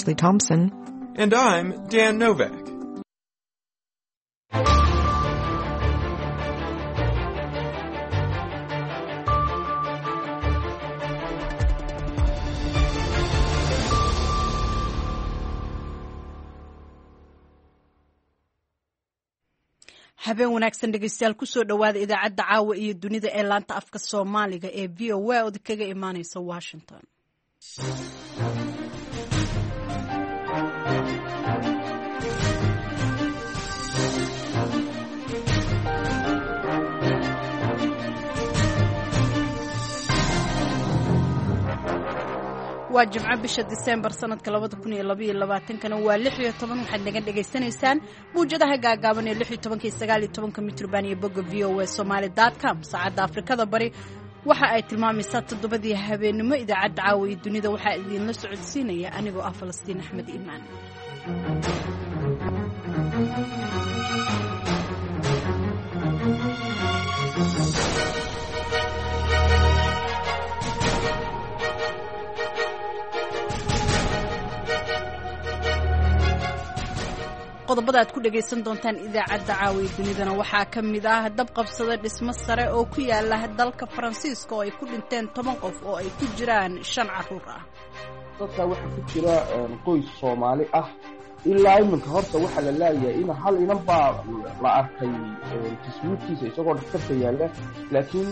Ashley Thompson. And I'm Dan Novak. Habeen wanaagsan, dhegeystayaal. Kusoo dhowaada idaacadda caawa iyo dunida ee laanta afka Soomaaliga ee VOA ood kaga imaaneysa Washington. Waa Jimco, bisha Disembar sanadka 2022-kana waa 16. Waxaad naga dhegaysanaysaan mawjadaha gaagaaban ee 16-ka iyo 19-ka mitroband iyo bogga voasomali.com. Saacadda Afrikada Bari waxa ay tilmaamaysaa 7-dii habeenimo. Idaacadda caawa iyo dunida waxaa idiinla socodsiinaya anigoo ah Falastiin Axmed Iimaan. Qodobada aad ku dhagaysan doontaan idaacadda caawiya dunidana waxaa ka mid ah dab qabsada dhismo sare oo ku yaala dalka Faransiiska oo ay ku dhinteen 10 qof oo ay ku jiraan shan caruur ah. Dadkaa waxaa ku jira qoys Soomaali ah. Ilaa iminka horta waxaa la laayahay in hal inan baa la arkay taswiirtiisa isagoo dhakhtarka yaalla, laakiin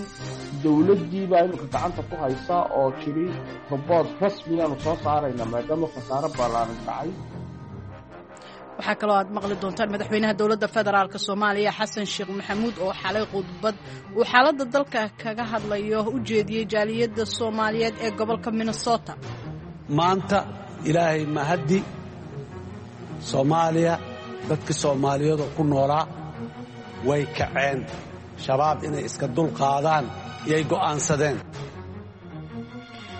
dowladdii baa iminka gacanta ku haysa oo jiri robood rasmigaanu soo saarayna maadaama khasaaro ballaaran dhacay. Waxaa kaloo aad maqli doontaan madaxweynaha dowladda federaalk Soomaaliya Xasan Sheekh Maxamuud oo xalay khudbad uu xaaladda dalka kaga hadlayo u jeediyey jaaliyadda Soomaaliyeed ee gobolka Minnesota. Maanta Ilaahay mahaddi, Soomaaliya, dadkii Soomaaliyeedoo ku noolaa way kaceen, Shabaab inay iska dulqaadaan iyay go'aansadeen.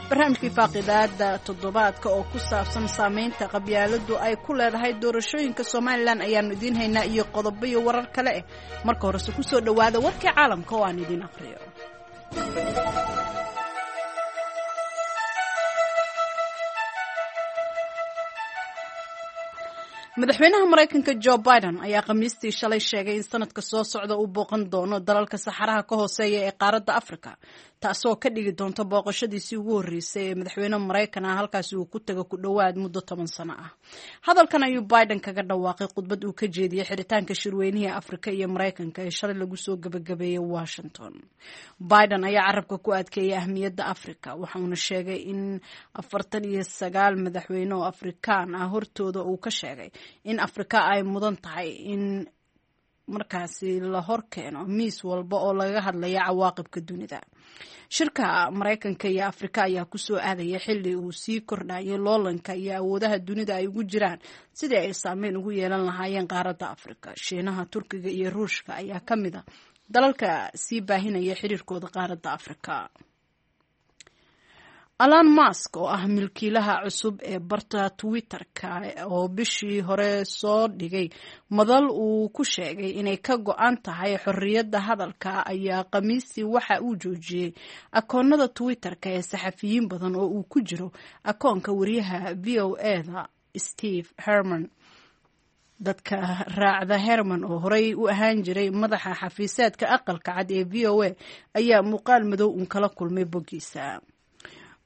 Barnaamijkii faaqidaada toddobaadka oo ku saabsan saameynta qabyaaladu ay ku leedahay doorashooyinka Somalilan ayaanu idiin haynaa iyo qodobo iyo warar kale eh. Marka horese ku soo dhowaada warkii caalamka oo aan idiin aqriyo. Madaxweynaha Maraykanka Jo Biden ayaa Khamiistii shalay sheegay in sanadka soo socda uu booqan doono dalalka saxaraha ka hooseeya ee qaaradda Afrika, taasoo ka dhigi doonta booqashadiisii ugu horreysay ee madaxweyne Maraykan ah halkaasi uu ku tago ku dhowaad muddo 10 sano ah. Hadalkan ayuu Biden kaga dhawaaqay khudbad uu ka jeediyey xiritaanka shirweynihii Afrika iyo Maraykanka ee shalay lagu soo gabagabeeyey Washington. Biden ayaa carabka ku adkeeyay ahmiyadda Afrika, waxauna sheegay in 49 madaxweyne oo Afrikaan ah hortooda uu ka sheegay in Afrika ay mudan tahay in markaasi la hor keeno miis walba oo lagaga hadlaya cawaaqibka dunida. Shirka Maraykanka iyo Afrika ayaa kusoo aadaya xilli uu sii kordhayo loolanka iyo awoodaha dunida ay ugu jiraan sidii ay saameyn ugu yeelan lahaayeen qaaradda Afrika. Shiinaha, Turkiga iyo Ruushka ayaa ka mid a dalalka sii baahinaya xiriirkooda qaaradda Afrika. Alan Mask oo ah milkiilaha cusub ee barta Twitter-ka oo bishii hore soo dhigay madal uu ku sheegay inay ka go-an tahay xorriyadda hadalka ayaa Khamiistii waxa uu joojiyey akoonada Twitter-ka ee saxafiyiin badan oo uu ku jiro akoonka wariyaha VOA-da Steve Herman. Dadka raacda Herman oo horey u ahaan jiray madaxa xafiiseedka Aqalka Cad ee VOA ayaa muuqaal madow uun kala kulmay boggiisa.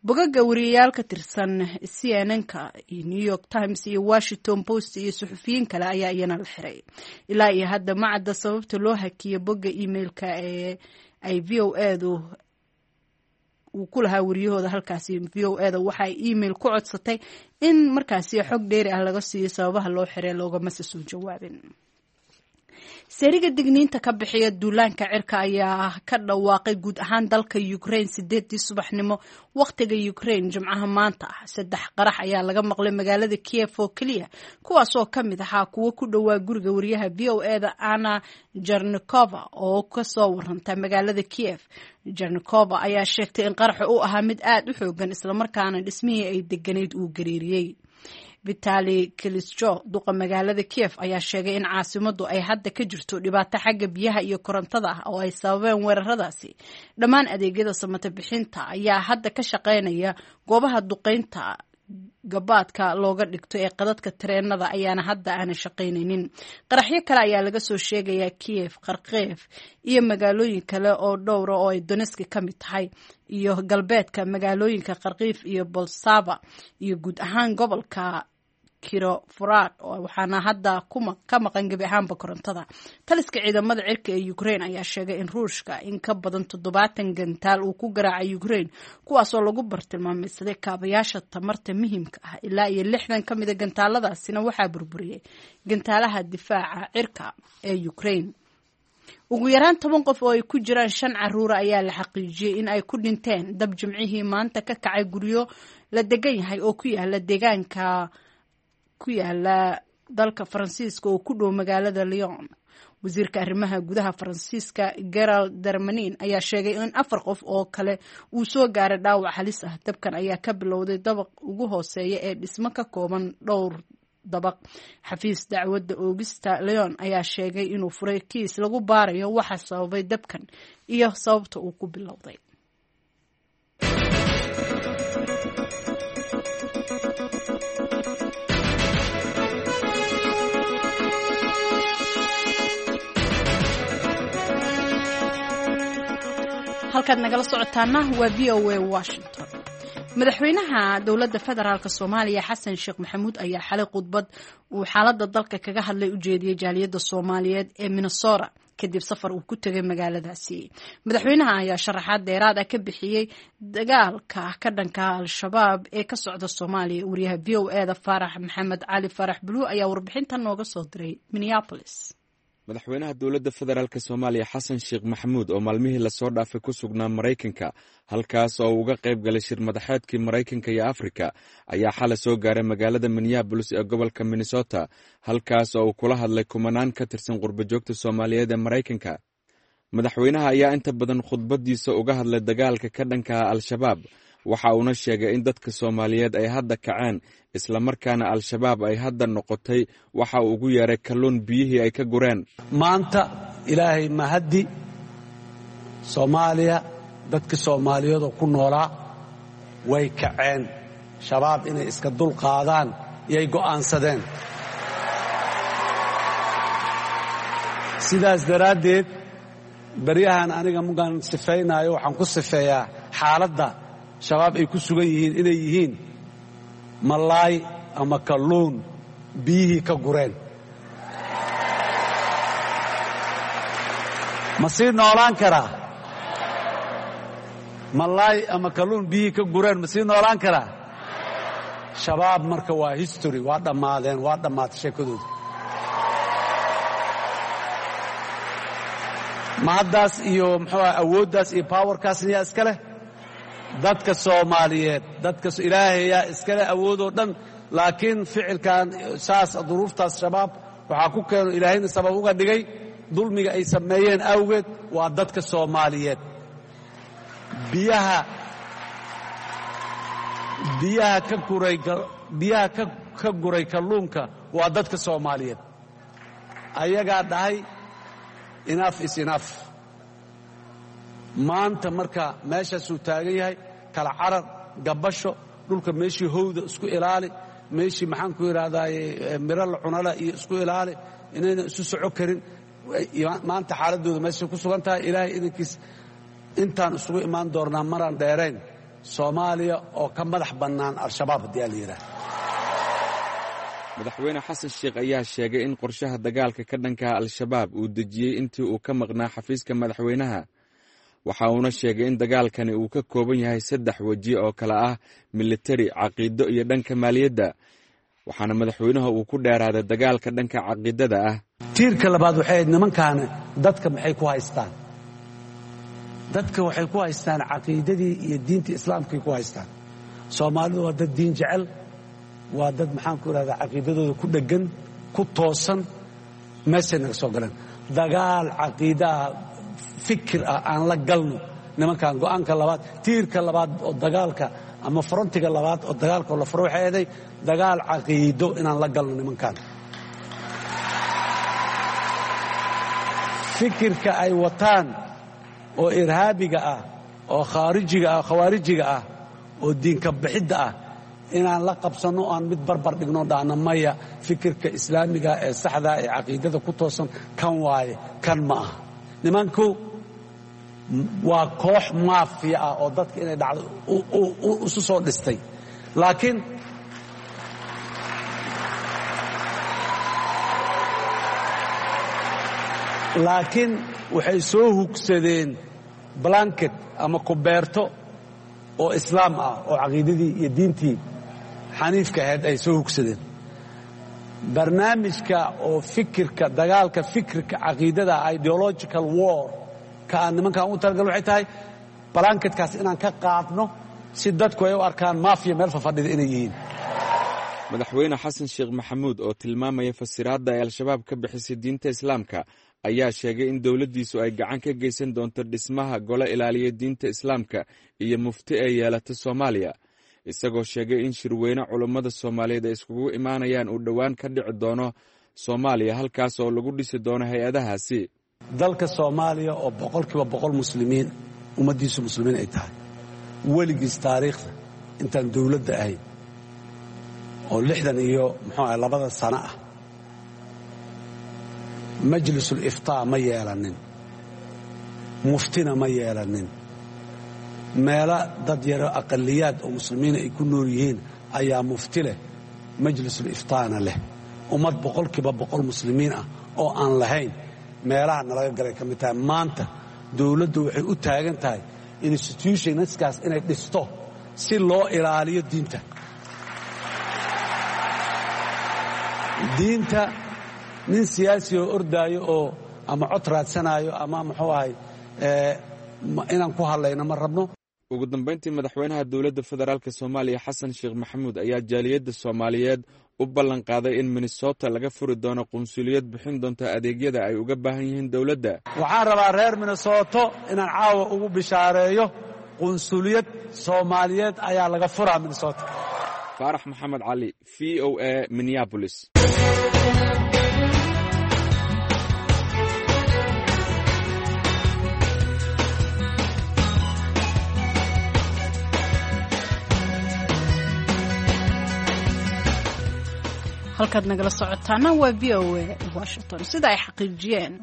Bogaga wariyayaal ka tirsan CNN-ka iyo New York Times iyo Washington Post iyo suxufiyiin kale ayaa iyana la xiray. Ilaa iyo hadda ma cadda sababta loo hakiyo bogga emailka ee ay VOA-du uu ku lahaa wariyahooda halkaasi. VOA-da waxaay email ku codsatay in markaasi xog dheeri ah laga siiyo sababaha loo xiray, loogamase soo jawaabin. Seeriga digniinta ka bixiya duulaanka cirka ayaa ka dhawaaqay guud ahaan dalka Ukraine 8-dii subaxnimo wakhtiga Ukraine Jimcaha maanta ah. Saddex qarax ayaa laga maqlay magaalada Kiev oo keliya, kuwaas oo ka mid ahaa kuwo ku dhowaa guriga wariyaha VOA-da Anna Jarnikova oo kasoo waranta magaalada Kiev. Jarnikova ayaa sheegtay in qaraxa uu ahaa mid aada u xoogan, islamarkaana dhismihii ay deganayd uu gariiriyey. Vitali Klitschko, duqa magaalada Kiev, ayaa sheegay in caasimaddu ay hadda ka jirto dhibaato xagga biyaha iyo korontada ah oo ay sababeen weeraradaasi. Dhammaan adeegyada samata bixinta ayaa hadda ka shaqeynaya goobaha duqeynta Gabaadka looga dhigto ee qadadka tareenada ayaana hadda aanan shaqaynaynin. Qaraxyo kale ayaa laga soo sheegayaa Kiev, Kharkiv iyo magaalooyin kale oo dhowra oo ay Donetsk ka mid tahay, iyo galbeedka magaalooyinka Kharkiv iyo Bolsava iyo guud ahaan gobolka Kirovohrad, waxaana hadda ka maqan gebi ahaanba korontada. Taliska ciidamada cirka ee Ukraine ayaa sheegay in Ruushka in ka badan 70 gantaal uu ku garaacay Ukraine, kuwaasoo lagu bartilmaameedsaday kaabayaasha tamarta muhiimka ah. Ilaa iyo 60 ka mida gantaaladaasina waxaa burburiyey gantaalaha difaaca cirka ee Ukraine. Ugu yaraan 10 qof oo ay ku jiraan shan caruura ayaa la xaqiijiyey in ay ku dhinteen dab Jimcihii maanta ka kacay guryo la degan yahay oo ku yaala deegaanka ku yaala dalka Faransiiska oo ku dhow magaalada Lyon. Wasiirka arrimaha gudaha Faransiiska Gerald Darmanin ayaa sheegay in afar qof oo kale uu soo gaaray dhaawac halis ah. Dabkan ayaa ka bilowday dabaq ugu hooseeya ee dhismo ka kooban dhowr dabaq. Xafiis dacwadda oogista Lyon ayaa sheegay inuu furay kiis lagu baarayo waxa sababay dabkan iyo sababta uu ku bilowday. Halkaad nagala socotaana waa VOA Washington. Madaxweynaha dowladda federaalk Soomaaliya Xasan Sheekh Maxamuud ayaa xalay khudbad uu xaaladda dalka kaga hadlay u jeediyey jaaliyadda Soomaaliyeed ee Minnesota kadib safar uu ku tegay magaaladaasi. Madaxweynaha ayaa sharaxaad dheeraad ah ka bixiyey dagaalka ka dhanka Al-Shabaab ee ka socda Soomaaliya. Wariyaha VOA da Faarax Maxamed Cali, Faarax Bluu, ayaa warbixintan nooga soo diray Minneapolis. Madaxweynaha dowladda federaalk Soomaaliya Xasan Sheekh Maxamuud oo maalmihii lasoo dhaafay ku sugnaa Maraykanka, halkaas oo uga qayb galay shir madaxeedkii Maraykanka iyo Afrika, ayaa xalay soo gaaray magaalada Minneabolis ee gobolka Minnesota, halkaas oo uu kula hadlay kumanaan ka tirsan qurbajoogta Soomaaliyeed ee Maraykanka. Madaxweynaha ayaa inta badan khudbadiisa uga hadlay dagaalka ka dhanka ah Al-Shabaab, waxa uuna sheegay in dadka Soomaaliyeed ay hadda kaceen, islamarkaana Al-Shabaab ay hadda noqotay waxa uu ugu yeeray kalluun biyihii ay ka gureen. Maanta Ilaahay mahaddi, Soomaaliya dadka Soomaaliyeedoo ku noolaa way kaceen. Shabaab inay iska dul qaadaan iyay go'aansadeen. Sidaas daraaddeed baryahan aniga mugaan sifaynaayo waxaan ku sifeeyaa xaaladda Shabaab ay ku sugan yihiin inay yihiin malaay ama kalluun biyihii ka gureen. Ma sii noolaan karaa malaay ama kalluun biyihii ka gureen? Ma sii noolaan karaa? Shabaab marka waa history, waa dhammaadeen, waa dhammaatay sheekadooda. Ma haddaas iyo muxuu aha awooddaas iyo powerkaasna yaa iska leh? Dadka Soomaaliyeed, dadka Ilaahay yaa iskale awoodoo dhan, laakiin ficilkan saas duruuftaas Shabaab waxaa ku keeno, Ilaahayna sabab uga dhigay dulmiga ay sameeyeen awgeed, waa dadka Soomaaliyeed. Biyaha ka guray, biyaha ka guray kalluunka waa dadka Soomaaliyeed. Ayagaa dhahay "Enough is enough." Maanta marka meeshaasuu taagan yahay kala carar, gabasho, dhulka meeshii howda isku ilaali, meeshii maxaan ku idhahdaaye miro la cunala iyo isku ilaali, inayna isu soco karin. Maanta xaaladdooda meeshay ku sugan tahay, Ilaahay idankiis intaan isugu imaan doonnaa maraan dheerayn Soomaaliya oo ka madax bannaan Al-Shabaab haddii aa la yidhaha. Madaxweyne Xasan Sheekh ayaa sheegay in qorshaha dagaalka ka dhankaha Al-Shabaab uu dejiyey intii uu ka maqnaa xafiiska madaxweynaha. Waxa uuna sheegay in dagaalkani uu ka kooban yahay saddex weji oo kale ah militari, caqiido iyo dhanka maaliyadda, waxaana madaxweynuhu uu ku dheeraaday dagaalka dhanka caqiidada ah. Tiirka labaad waxay ahayd nimankaani dadka maxay ku haystaan? Dadka waxay ku haystaan caqiidadii iyo diintii Islaamkay ku haystaan. Soomaalidu waa dad diin jecel, waa dad maxaan ku idhahdaa caqiidadooda ku dheggan, ku toosan. Meeshay naga soo galeen, dagaal caqiidaah, fikir ah aan la galno nimankan. Go'aanka labaad, tiirka labaad oo dagaalka ama frontiga labaad oo dagaalka oo la furo waxay ahaday dagaal caqiido inaan la galno nimankan. Fikirka ay wataan oo irhaabiga ah oo khaarijiga ah, khawaarijiga ah, oo diinka bixidda ah Inaan la qabsanno, aan mid barbar dhigno, dhahno maya, fikirka islaamiga ee saxda ee caqiidada ku toosan kan waaye, kan ma aha. Nimanku waa koox maafiya ah oo dadka inay dhacdo isu soo dhistay, laakiin waxay soo hugsadeen blanket ama kubeerto oo islaam ah oo caqiidadii iyo diintii xaniifka ahayd ay soo hugsadeen. Barnaamijka oo fikirka dagaalka fikirka caqiidada, ideological war ka aan nimankaan u talagal, waxay tahay blanketkaas inaan ka qaadno si dadku ay u arkaan maafiya meel fafadhida inay yihiin. Madaxweyne Xasan Sheekh Maxamuud oo tilmaamaya fasiraadda ay Al-Shabaab ka bixisay diinta Islaamka ayaa sheegay in dowladdiisu ay gacan ka geysan doonto dhismaha gole ilaaliya diinta Islaamka iyo mufti ay yeelata Soomaaliya, isagoo sheegay in shirweyne culummada Soomaaliyeed ay iskugu imaanayaan uu dhowaan ka dhici doono Soomaaliya, halkaas oo lagu dhisi doono hay-adahaasi. Dalka Soomaaliya oo 100% muslimiin, ummaddiisu muslimiin ay tahay, weligiis taariikhda intaan dowladda ahayn oo 60 iyo muxuu ah labada sano ah, majlisul iftaa ma yeelanin, muftina ma yeelanin. Meelo dad yaro aqaliyaad oo muslimiina ay ku nool yihiin ayaa mufti leh, majlisul iftaana leh. Ummad 100% muslimiin ah oo aan lahayn meelaha nalaga galay ka mid tahay. Maanta dowladdu waxay u taagan tahay institutionskaas inay dhisto si loo ilaaliyo diinta. Diinta nin siyaasi oo ordaayo oo ama cod raadsanaayo ama muxuu ahay inaan ku hadlayno ma rabno. Ugu dambeyntii, madaxweynaha dowladda federaalk Soomaaliya Xasan Sheekh Maxamuud ayaa jaaliyadda Soomaaliyeed u ballan qaaday in Minnesota laga furi doono qunsuliyad bixin doonta adeegyada ay uga baahan yihiin dowladda. Waxaan rabaa reer Minnesoto inaan caawa ugu bishaareeyo qunsuliyad Soomaaliyeed ayaa laga furaa Minnesota. Faarax Maxamed Cali, VOA, Minneapolis. Halkaad nagala socotaana waa VOA Washington. Sida ay xaqiijiyeen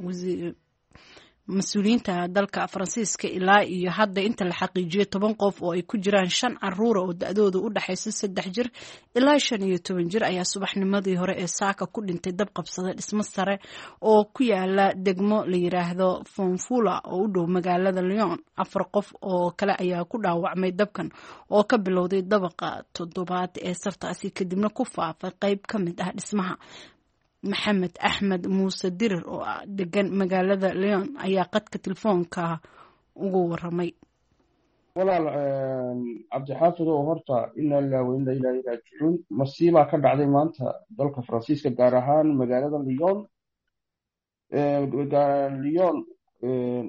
mas-uuliyiinta dalka Faransiiska, ilaa iyo hadda inta la xaqiijiyey 10 qof oo ay ku jiraan shan caruura oo da-dooda u dhexaysa 3 jir ilaa 15 jir ayaa subaxnimadii hore ee saaka ku dhintay dab qabsaday dhismo sare oo ku yaala degmo la yiraahdo Fonfula oo u dhow magaalada Lyon. Afar qof oo kale ayaa ku dhaawacmay dabkan oo ka bilowday dabaqa toddobaad ee sartaasi, kadibna ku faafay qeyb ka mid ah dhismaha. Maxamed Axmed Muuse Dirir oo degan magaalada Lyon ayaa qadka telefoonka ugu waramay. Walaal Cabdixaafid oo horta inaa lillahi wa inaa ilaahi raajicuun. Masiibaa ka dhacday maanta dalka Faransiiska, gaar ahaan magaalada Lyon. Lyon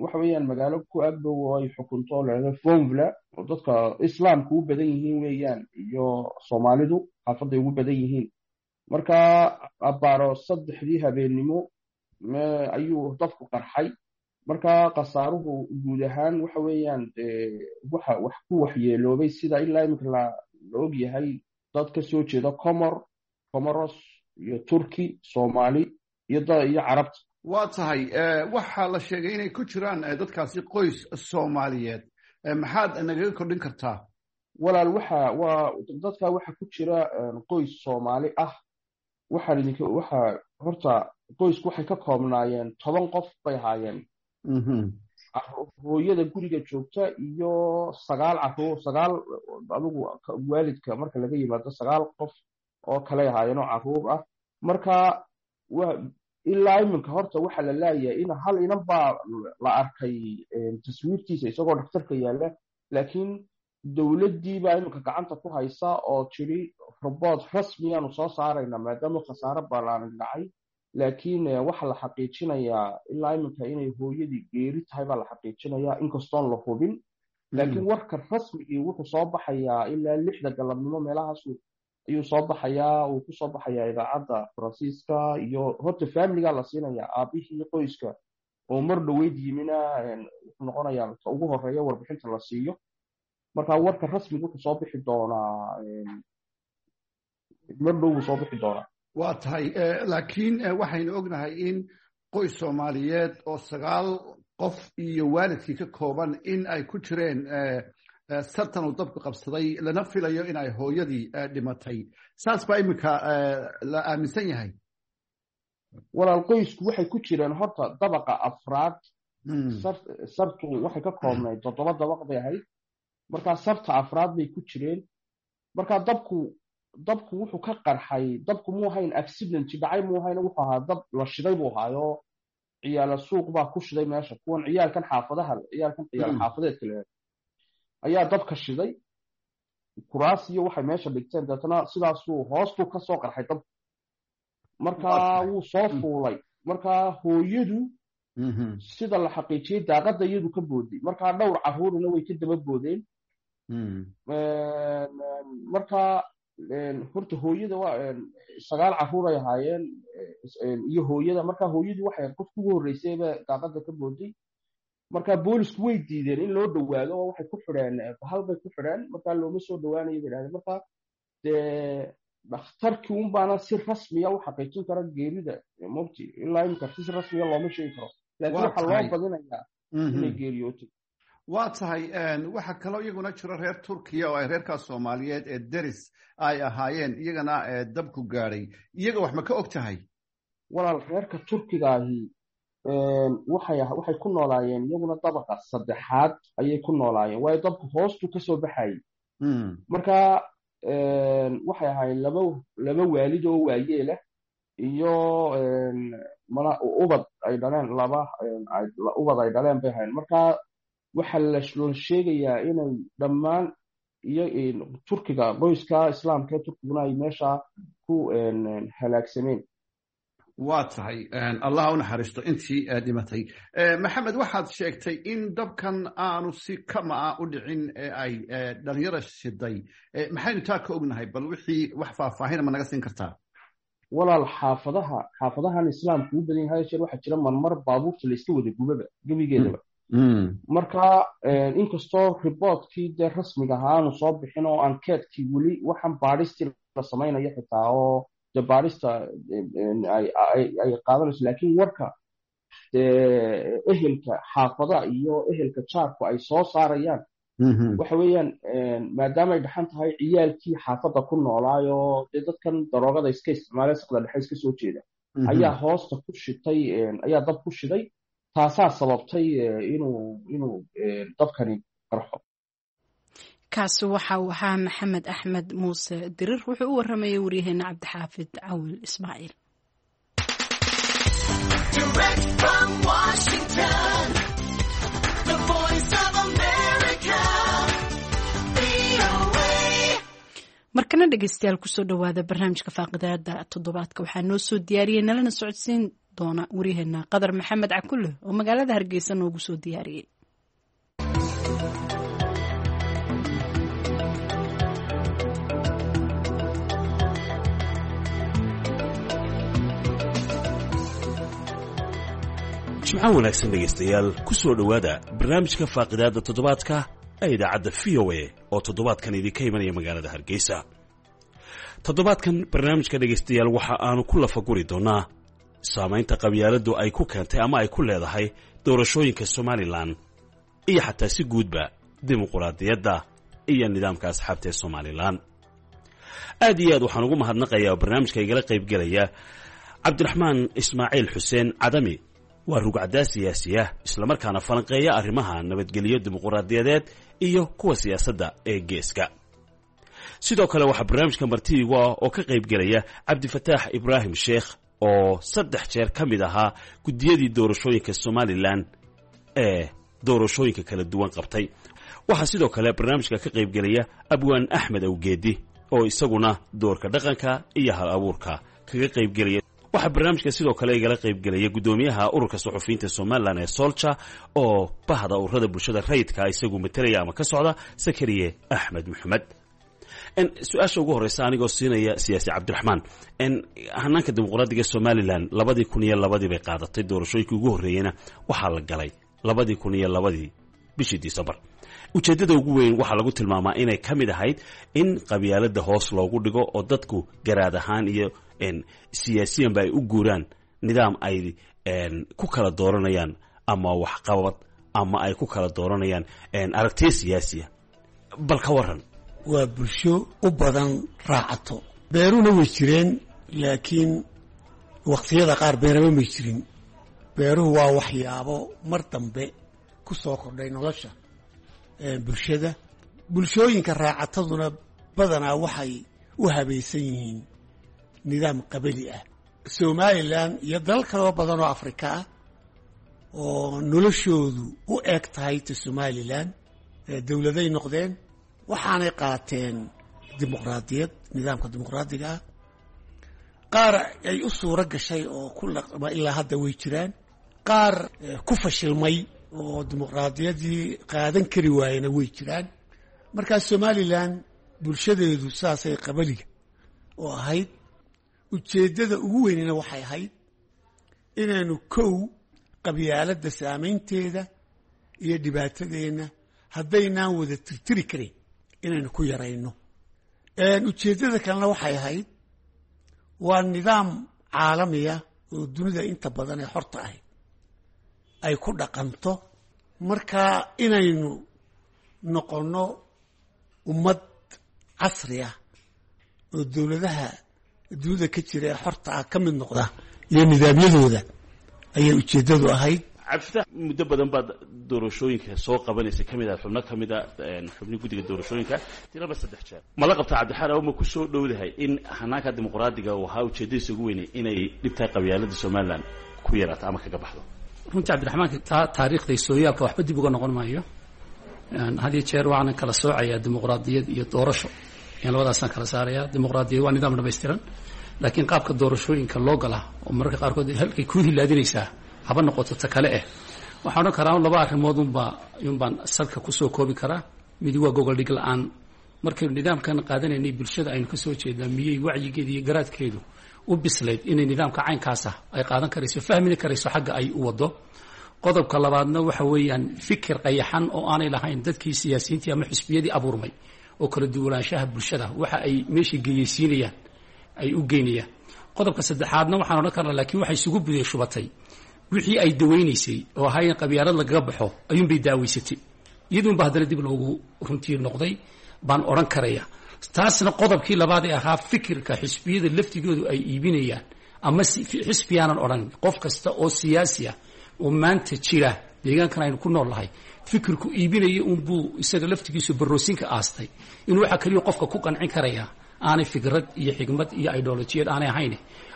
waxa weeyaan magaalo ku agdhow oo ay xukunto lahahdo Fonvla oo dadka islaamka ugu badan yihiin weeyaan, iyo Soomaalidu xaafaday ugu badan yihiin. Marka abbaaro 3dii habeennimo ayuu dabku qarxay. Marka khasaaruhu guud ahaan waxa weeyaan waxa wax ku waxyeeloobay, sida ilaa iminka la og yahay, dad ka soo jeeda Comoros iyo Turki, Soomaali iyo Carabta. Waa tahay, waxaa la sheegay inay ku jiraan dadkaasi qoys Soomaaliyeed. Maxaad nagaga kordhin kartaa? Walaal, waxa waa dadka waxa ku jira qoys Soomaali ah. Waxaan idinka waxa horta qoysku waxay ka koobnaayeen 10 qof bay ahaayeen, hooyada guriga joogta iyo sagaal caruur, sagaal adigu waalidka marka laga yimaado sagaal qof oo kaley ahaayeen oo caruur ah. Marka ilaa iminka horta waxa la laayahay in hal inan baa la arkay taswiirtiisa isagoo dhakhtarka yaalla, laakiin dowladdii baa iminka gacanta ku haysa oo tiri robood rasmiyaanu soo saarayna maadaama khasaare balaaran dhacay. Laakiin waxa la xaqiijinayaa ilaa iminka inay hooyadii geeri tahay baa la xaqiijinayaa, inkastoon la hubin. Laakiin warka rasmigii wuxuu soo baxayaa ilaa 6da galabnimo meelahaas ayuu soo baxayaa, uu kusoo baxayaa idaacadda Faransiiska. Iyo horta familiga la siinayaa, aabihii qoyska oo mar dhoweyd yimina wuxuu noqonayaa ka ugu horeeya warbixinta la siiyo. Marka warka rasmiga wuxuu soo bixi doonaa. Mar dhow buu soo bixi doonaa. Waa tahay, laakiin waxaynu ognahay in qoys Soomaaliyeed oo 9 qof iyo waalidkii ka kooban in ay ku jireen sartan uu dabku qabsaday, lana filayo in ay hooyadii dhimatay. Saas baa iminka la aaminsan yahay. Walaal, qoysku waxay ku jireen horta dabaqa afraad. Sartu waxay ka koobnayd 7 dabaq bay ahayd, markaa sarta afraad bay ku jireen. Markaa dabku wuxuu ka qarxay, dabku muu ahayn accident dhacay, muu ahayn, wuxuu ahaa dab la shiday buu ahaayo. Ciyaala suuq baa ku shiday meesha, kuwan ciyaalkan xaafadaha, ciyaalkan ciyaal xaafadeedka le ayaa dabka shiday, kuraas iyo waxay meesha dhigteen, deetana sidaasuu hoostuu kasoo qarxay dabku. Markaa wuu soo fuulay. Markaa hooyadu, sida la xaqiijiyey, daaqadda iyadu ka booday, markaa dhowr carruurina way ka daba boodeen. Markaa horta hooyada waa 9 carruur ay ahaayeen iyo hooyada. Markaa hooyadu waxay qofku ugu horreysayba daaqadda ka booday. Marka boolisku way diideen in loo dhowaado oo waxay ku xidheen bahal bay ku xidheen, markaa looma soo dhowaanayo bay dhahdeen. Marka dee dhakhtarkii un baana si rasmiya u xaqiijin kara geerida mobti. Ilaa imika si rasmiya looma sheegi karo, laakiin waxaa loo badinayaa inay geeriyootay. Waa tahay. Waxaa kaloo iyaguna jira reer Turkiya oo ay reerkaas Soomaaliyeed ee deris ay ahaayeen, iyagana dabku gaadhay. Iyaga wax ma ka og tahay? Walaal, reerka Turkigaahi waxay ku noolaayeen iyaguna dabaqa saddexaad ayay ku noolaayeen, waayo dabku hoostuu kasoo baxayay. Marka waxay ahaayeen laba waalid oo waayeelah iyo ubad ay dhaleen, laba ubad ay dhaleen bay ahaayeen. Marka waxaa la sheegayaa inay dhammaan iyo Turkiga, qoyska Islaamka ee Turkiguna ay meesha ku halaagsameen. Waa tahay, Allah u naxariisto intii dhimatay. Maxamed, waxaad sheegtay in dabkan aanu si kama ah u dhicin ee ay dhalinyara shiday. Maxaynu taa ka ognahay? Bal wixii wax faahfaahina ma naga siin kartaa? Walaal, xaafadahan Islaamku u badan yahay jeer waxaa jira marmar baabuurta la iska wada gubaba gebigeedaba. Marka inkastoo riboortkii dee rasmiga ahaa aanu soo bixin oo ankeetkii weli waxaan baadhistii la samaynayo xitaa oo dee baadhista ay qaadanayso, laakiin warka dee ehelka xaafada iyo ehelka jaarku ay soo saarayaan waxa weeyaan, maadaama ay dhaxan tahay, ciyaalkii xaafadda ku noolaayoo dee dadkan daroogada iska isticmaalay, saqda dhexe iska soo jeeda, ayaa hoosta ku shitay, ayaa dab ku shiday. Taasaa sababtay inuu dabkani qarxo. Kaasi waxa uu ahaa Maxamed Axmed Muuse Dirir, wuxuu u waramayay waryaheena Cabdixaafid Cawil Ismaaciil. Markana dhegeystayaal, kusoo dhowaada barnaamijka faaqidaada toddobaadka. Waxaa noo soo diyaariyey nalana socodsiin doona waryaheena Qadar Maxamed Cakulle oo magaalada Hargeysa noogu soo diyaariyey. Jimco wanaagsan dhegaystayaal, ku soo dhowaada barnaamijka faaqidaadda toddobaadka ee idaacadda VOA oo toddobaadkan idinka imanaya magaalada Hargeysa. Toddobaadkan barnaamijka, dhegaystayaal, waxa aanu ku lafaguri doonnaa saamaynta qabyaaladdu ay ku keentay ama ay ku leedahay doorashooyinka Somalilan iyo xataa si guudba dimuquraadiyadda iyo nidaamka asxaabta ee Somalilan. Aad iyo aad waxaan ugu mahadnaqayaa oo barnaamijka igala qaybgelaya Cabdiraxmaan Ismaaciil Xuseen Cadami, waa rugcaddaa siyaasiya islamarkaana falanqeeya arrimaha nabadgelyo, dimuquraadiyadeed iyo kuwa siyaasadda ee geeska. Sidoo kale waxaa barnaamijka marti igu ah oo ka qaybgelaya Cabdifataax Ibraahim Sheekh oo 3 jeer ka mid ahaa guddiyadii doorashooyinka Somalilan ee doorashooyinka kala duwan qabtay. Waxaa sidoo kale barnaamijka ka qaybgelaya Abwaan Axmed Awgeedi oo isaguna doorka dhaqanka iyo hal abuurka kaga qaybgelaya. Waxaa barnaamijka sidoo kale igala qaybgelaya guddoomiyaha ururka suxufiyiinta Somalilan ee Solja oo bahda ururada bulshada rayidka isagu matalaya ama ka socda, Sakariye Axmed Maxamed. Su-aasha ugu horeysa anigoo siinaya siyaasi Cabdiraxmaan, hanaanka dimuqraadiga Somalilan 2002-dii bay qaadatay, doorashooyinkii ugu horreeyeyna waxaa la galay 2002-dii bishii Decembar. Ujeeddada ugu weyn waxaa lagu tilmaamaa inay ka mid ahayd in qabyaaladda hoos loogu dhigo oo dadku garaad ahaan iyo siyaasiyanba ay u guuraan nidaam ay ku kala dooranayaan ama waxqabad ama ay ku kala dooranayaan aragtiyo siyaasiya. Bal ka waran? Waa bulsho u badan raacato. Beeruhuna way jireen, laakiin waqtiyada qaar beeraba may jirin. Beeruhu waa waxyaabo mar dambe ku soo kordhay nolosha bulshada. Bulshooyinka raacataduna badanaa waxay u habaysan yihiin nidaam qabali ah. Somalilan iyo dalal kaloo badan oo Afrika ah oo noloshoodu u eg tahay ta Somalilan, dowladay noqdeen, waxaanay qaateen dimuqraadiyad, nidaamka dimuqraadiga ah. Qaar ay u suuro gashay oo ku laqma ilaa hadda way jiraan, qaar ku fashilmay oo dimuqraadiyaddii qaadan kari waayena way jiraan. Markaa Somalilan bulshadeedu saasay qabaliga oo ahayd. Ujeeddada ugu weynina waxay ahayd inaynu kow qabyaaladda saamaynteeda iyo dhibaatadeenna haddaynaan wada tirtiri karin inaynu ku yarayno. Ujeeddada kalena waxay ahayd, waa nidaam caalamiya oo dunida inta badan ee xorta ahayd ay ku dhaqanto. Marka inaynu noqonno ummad casri ah oo dowladaha dunida ka jira ee xorta ah ka mid noqda iyo nidaamyadooda ayay ujeeddadu ahayd. Cabdifatax, muddo badan baad doorashooyinka soo qabanaysa, ka mid ah xubno ka mid a xubni guddiga doorashooyinka tiraba 3 jeer. Ma la qabtaa Cabdixaar ma ku soo dhowdahay in hanaanka dimuqraadiga uu ahaa ujeeddadiisa ugu weynay inay dhibtaa qabyaaladda Somalilan ku yaraato ama kaga baxdo? Runtii Cabdiraxmaanka, taa taariikhda sooyaalka waxba dib uga noqon maayo. Had iyo jeer waxaanan kala soocayaa dimuqraadiyad iyo doorasho, yan labadaasaan kala saarayaa. Dimuqraadiyad waa nidaam dhamaystiran, laakiin qaabka doorashooyinka loo galaa oo mararka qaarkood halkay kuu hilaadinaysaa haba noqoto ta kale eh. Waxaan odhan karaa laba arrimood unbaa yunbaan salka kusoo koobi karaa. Midi waa gogoldhig la-aan. Markaynu nidaamkan qaadanaynay, bulshada aynu kasoo jeednaa miyey wacyigeedu iyo garaadkeedu u bislayd inay nidaamka caynkaas ah ay qaadan karayso, fahmini karayso xagga ay u wado? Qodobka labaadna waxa weeyaan fikir qayaxan oo aanay lahayn dadkii siyaasiyiintii ama xisbiyadii abuurmay oo kala duwanaanshaha bulshada waxa ay meesha geeyeysiinayaan ay u geynayaan. Qodobka saddexaadna waxaan odhan karnaa, laakiin waxay isugu budey shubatay wixii ay dawaynaysay oo ahaa in qabyaalad lagaga baxo ayuunbay daaweysatay, iyaduunba haddana dib loogu runtii noqday baan odhan karaya. Taasna qodobkii labaad ee ahaa fikirka xisbiyada laftigoodu ay iibinayaan, ama xisbiyaanan odhan, qof kasta oo siyaasi ah oo maanta jira deegaankan aynu ku nool nahay fikirku iibinaya unbuu isaga laftigiisu baroosinka aastay inuu waxa keliya qofka ku qancin karaya aanay fikrad iyo xigmad iyo ideolojiyad aanay ahayn,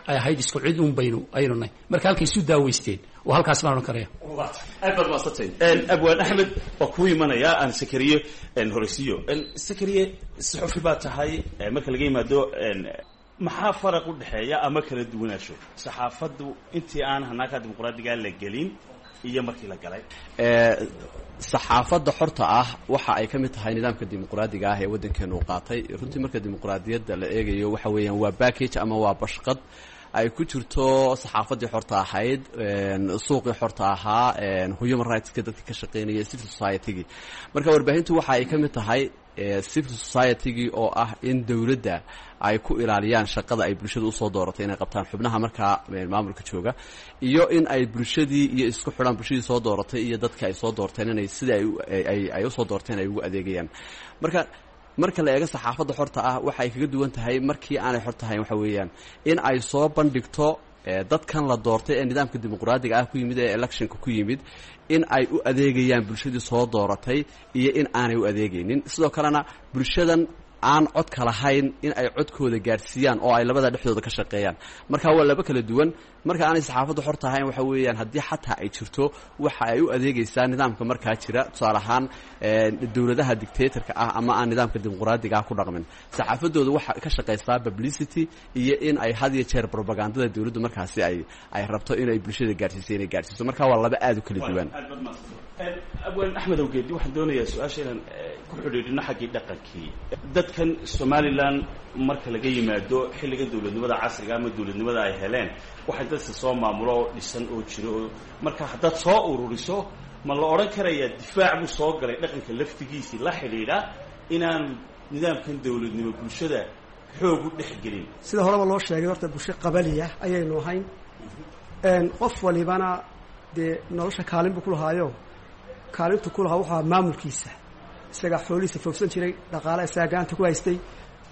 ay ahayd isku cid un baynu aynu nahay. Marka halkay isu daaweysteen oo halkaas baan odhan karaya. Aad baad mahadsantay, Abwaan Axmed. Waa kuu imanayaa. Aan Sakariye horeysiiyo. Sakariye, saxufi baa tahay. Marka laga yimaado, maxaa faraq u dhexeeya ama kala duwanaasho saxaafaddu intii aan hanaanka dimuqraadiga la gelin iyo markii la galay? Saxaafadda xorta ah waxa ay ka mid tahay nidaamka dimuqraadiga ah ee waddankeenu u qaatay. Runtii marka dimuqraadiyadda la eegayo, waxa weeyaan waa package ama waa bashqad ay ku jirto saxaafaddii xorta ahayd, suuqii xorta ahaa, human rightska dadka ka shaqeynaya, civil society-gii. Marka warbaahintu waxa ay ka mid tahay civil society-gii, oo ah in dowladda ay ku ilaaliyaan shaqada ay bulshada usoo dooratay inay qabtaan xubnaha markaa maamulka jooga, iyo in ay bulshadii iyo isku xidhaan bulshadii soo dooratay iyo dadka ay soo doorteen inay sida ay usoo doorteen ay ugu adeegayaan. Marka la eego saxaafadda xorta ah, waxa ay kaga duwan tahay markii aanay xor tahayn waxa weeyaan in ay soo bandhigto dadkan la doortay ee nidaamka dimuqraadiga ah ku yimid ee electionka ku yimid in ay u adeegayaan bulshadii soo dooratay iyo in aanay u adeegaynin. Sidoo kalena bulshadan aan codka lahayn in ay codkooda gaadhsiiyaan oo ay labada dhexdooda ka shaqeeyaan. Marka waa laba kala duwan. Marka aanay saxaafaddu xor tahayn, waxa weeyaan haddii xataa ay jirto, waxa ay u adeegaysaa nidaamka markaa jira. Tusaale ahaan, dowladaha dictatorka ah ama aan nidaamka dimuqraadiga ah ku dhaqmin, saxaafaddooda waxa ka shaqaysaa publicity iyo in ay had iyo jeer propagandada dowladdu markaasi ay rabto inay bulshada gaadhsiiso inay gaadhsiiso. Marka waa laba aada u kala duwan. Abwaan Axmed Awgeedi, waxaan doonayaa su-aasha inaan ku xidhiidhino xaggii dhaqankii dadkan Somalilan. Marka laga yimaado xilligan dowladnimada casriga ama dowladnimada ay heleen, waxay dadka soo maamulo oo dhisan oo jiro oo marka haddaad soo ururiso Ma la odhan karayaa difaac buu soo galay dhaqanka laftigiisii la xidhiidha inaanu nidaamkan dowladnimo bulshada xoog u dhex gelin? Sida horeba loo sheegay, horta bulsho qabaliya ayaynu ahayn. Qof walibana dee nolosha kaalin buu ku lahaayo. Kaalintu ku lahaa wuxuu ahaa maamulkiisa, isagaa xoolihiisa foogsan jiray, dhaqaale isagaa gacanta ku haystay.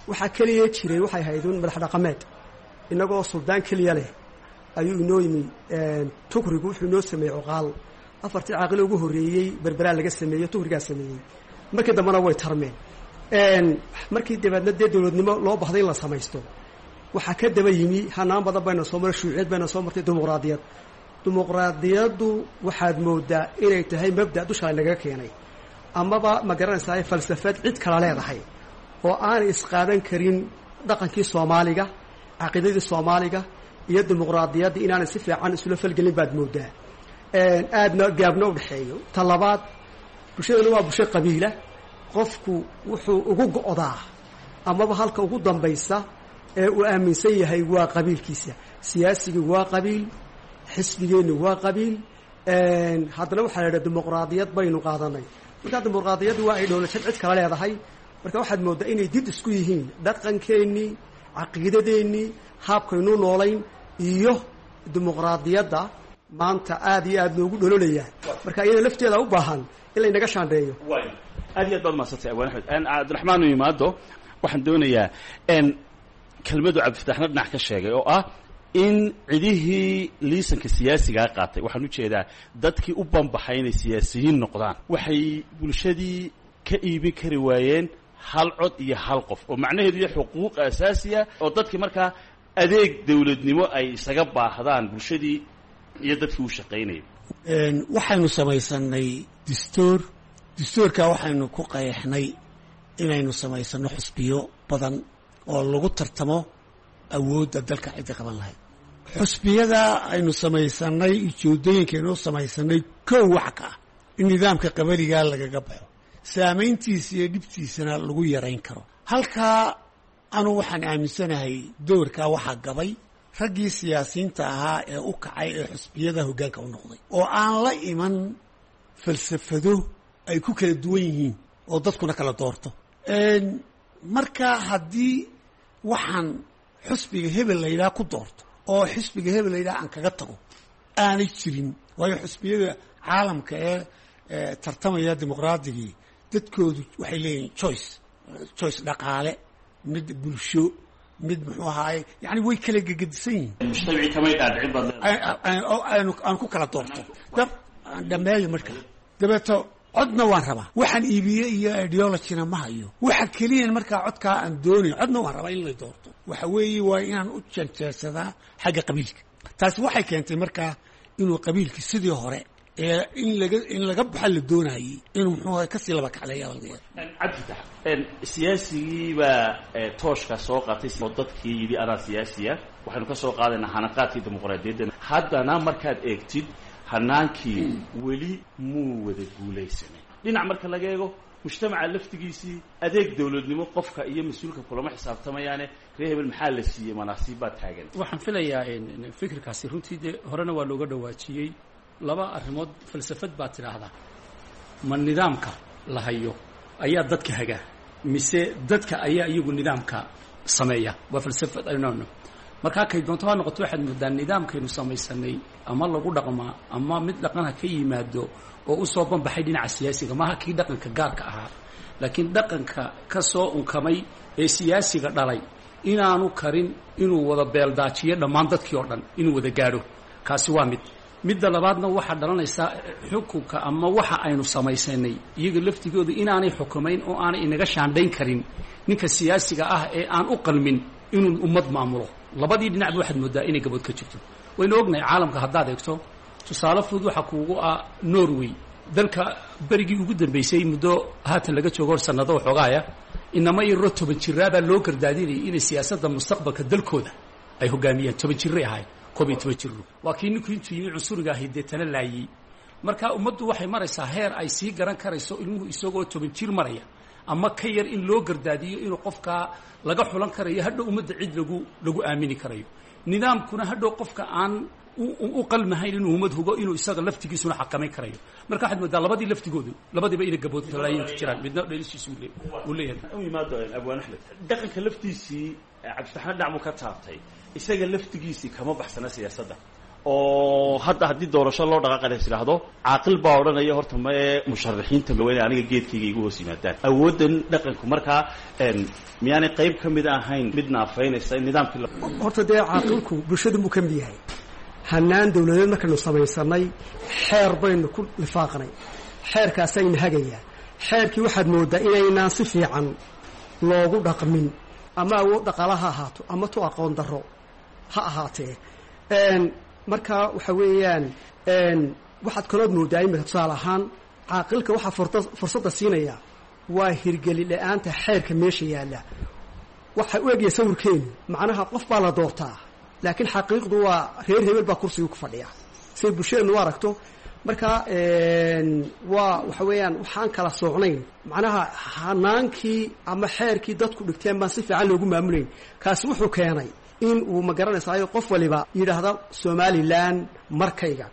Waxaa keliya jiray waxay ahayd un madax dhaqameed. Innagoo suldaan keliya leh ayuu inoo yimi Tukrigu. Wuxuu inoo sameeyey cuqaal. Afartii caaqilo ugu horreeyey Berberaa laga sameeyey, Tukrigaa sameeyey. Markii dambena way tarmeen. Markii dabeedna dee dowladnimo loo bahday in la samaysto, waxaa ka daba yimi hanaan badan bayna soo maray, shuuciyad bayna soo martay, dimuqraadiyad. Dimuqraadiyaddu waxaad moodaa inay tahay mabda dusha nagaga keenay, amaba ma garanaysaa, falsafad cid kala leedahay oo aanay isqaadan karin. Dhaqankii Soomaaliga, caqiidadii Soomaaliga iyo dimuqraadiyadda inaanay si fiican isula falgelin baad moodaa, aadna gaabna u dhexeeyo. Ta labaad, bulshadana waa bulsho qabiila. Qofku wuxuu ugu go'daa amaba halka ugu dambaysa ee uu aaminsan yahay waa qabiilkiisa. Siyaasigii waa qabiil, xisbigeenni waa qabiil. Haddana waxaa la yidhaha dimuqraadiyad baynu qaadanay. Markaa dimuqraadiyaddu waa ay dhowlajad cid kala leedahay. Marka waxaad mooddaa inay did isku yihiin dhaqankeennii, caqiidadeennii, haabkaynuu noolayn iyo dimuqraadiyadda maanta aad iyo aad loogu dhololayaa. Marka iyada lafteeda u baahan in laynaga shaandheeyo. Aad iyo aad baad mahadsantay, Abwaan Axmed. Cabdiraxmaan u yimaado. Waxaan doonayaa kelmadu Cabdifataxna dhinac ka sheegay oo ah in cidihii liisanka siyaasigaa qaatay, waxaan ujeedaa dadkii u banbaxay inay siyaasiyiin noqdaan, waxay bulshadii ka iibin kari waayeen hal cod iyo hal qof, oo macnaheedu iyo xuquuq asaasiya oo dadkii markaa adeeg dowladnimo ay isaga baahdaan bulshadii iyo dadkii u shaqaynayay. Waxaynu samaysanay distoor. Distoorkaa waxaynu ku qayaxnay inaynu samaysano xusbiyo badan oo lagu tartamo awoodda dalka cidda qaban lahayd. Xusbiyada aynu samaysanay, ujeedooyinkaynu samaysanay, kow waxa ka ah in nidaamka qabaligaa lagaga baxo, saamayntiisa iyo dhibtiisana lagu yarayn karo. Halkaa anu waxaan aaminsanahay doorkaa waxaa gabay raggii siyaasiyiinta ahaa ee u kacay ee xusbiyada hoggaanka u noqday, oo aan la iman falsafado ay ku kala duwan yihiin oo dadkuna kala doorto. Marka haddii waxaan xusbiga hebel la yidhaha ku doorto oo xisbiga hebel la yidhaha aan kaga tago aanay jirin, waayo xusbiyada caalamka ee tartamaya dimuqraadigii dadkoodu waxay leeyihin choice dhaqaale, mid bulsho, mid muxuu ahaaye, yani way kala gegedisan yihiin. Mujtamacii kamay dhaadhicin baad leedahay. Aan ku kala doorto dhameeyo. Marka dabeeto codna waan rabaa, waxaan iibiye iyo ideologyna ma hayo. Waxa keliyan markaa codkaa aan doonayo, codna waan rabaa in la doorto, waxa weeye waa inaan u janjeersadaa xagga qabiilka. Taasi waxay keentay markaa inuu qabiilkii sidii hore ee in laga baxa la doonayey inuu muxuu ahay kasii laba kacleeya laga yaaba. Cabdifatax, siyaasigii baa tooshka soo qaatay oo dadkii yidhi adaa siyaasiya, waxaynu ka soo qaadaynaa hanaqaadkii dimuqraadiyadda. Haddana markaad eegtid hanaankii weli muu wada guulaysanay. Dhinac marka laga eego mujtamaca laftigiisii, adeeg dowladnimo qofka iyo mas-uulka kulama xisaabtamayaane reer hebel maxaa la siiyey, manaasiib baa taagan. Waxaan filayaa fikirkaasi runtii dee horena waa looga dhawaajiyey. Laba arrimood falsafad baa tidhaahdaa: ma nidaamka la hayo ayaa dadka hagaa, mise dadka ayaa iyagu nidaamka sameeya? Waa falsafad aynu markaa kay doonto ha noqoto. Waxaad moodaa nidaamkaynu samaysanay ama lagu dhaqmaa ama mid dhaqanha ka yimaado oo usoo banbaxay dhinaca siyaasiga, maaha kii dhaqanka gaarka ahaa, laakiin dhaqanka ka soo unkamay ee siyaasiga dhalay inaanu karin inuu wada beeldaajiyo dhammaan dadkii oo dhan inuu wada gaadho. Kaasi waa mid. Midda labaadna, waxaa dhalanaysaa xukunka ama waxa aynu samaysanay iyaga laftigooda inaanay xukumayn oo aanay inaga shaandhayn karin ninka siyaasiga ah ee aan u qalmin inuu ummad maamulo. Labadii dhinacba waxaad moodaa inay gabood ka jirto. Waynu ognahay caalamka haddaad eegto, tusaale fudud waxaa kuugu ah Norway, dalka berigii ugu dambeysay muddo haatan laga joogo hor sanado waxoogaaya, inama yaroo 10 jiraabaa loo gardaadinayay inay siyaasadda mustaqbalka dalkooda ay hogaamiyaan. 10 jiray ahayd, 11 jiro. Waa kii ninkuu intuu yimi cunsuriga ahi deetana laayey. Marka ummaddu waxay maraysaa heer ay sii garan karayso ilmuhu isagoo 10 jir maraya ama ka yar in loo gardaadiyo inuu qofkaa laga xulan karayo hadhow ummadda cid lagu aamini karayo. Nidaamkuna hadhow qofka aan u qalmahayn inuu ummad hugo, inuu isaga laftigiisuna xakamayn karayo. Marka waxaad moodaa labadii laftigoodu labadiiba inay gaboodtalaayin jiraan, midna dhelishiisu uu leeyahay. U yimaado Abwaan Axmed, dhaqanka laftiisii Cabdiraxmaan dhacmu ka taabtay, isaga laftigiisii kama baxsana siyaasadda, oo hadda haddii doorasho loo dhaqaaqada is idhaahdo, caaqil baa odhanaya horta mae musharaxiinta ma weyne aniga geedkayga igu hoos yimaadaan. Awooddan dhaqanku markaa miyaanay qayb ka mid ahayn mid naafaynaysa nidaamkii? Horta dee caaqilku bulshadu buu ka mid yahay. Hanaan dawladeed markaynu samaysanay xeer baynu ku lifaaqnay, xeerkaasayna hagayaa. Xeerkii waxaad mooddaa inaynaan si fiican loogu dhaqmin, ama awood dhaqaala ha ahaato ama tu aqoon darro ha ahaatee. Marka waxa weeyaan waxaad kalood mooddaa imika tusaale ahaan caaqilka waxaa fursadda siinaya waa hirgeli la-aanta xeerka meesha yaalla. Waxa u egaya sawirkeenu macnaha qof baa la doortaa, laakiin xaqiiqdu waa reer hebel baa kursiga ku fadhiya say bulshadeennu u aragto. Marka waa waxa weeyaan waxaan kala soocnayn, macnaha hanaankii ama xeerkii dadku dhigteen baan si fiican loogu maamulayn. Kaasi wuxuu keenay in uu ma garanaysaayo qof waliba yidhaahda Somalilan markayga.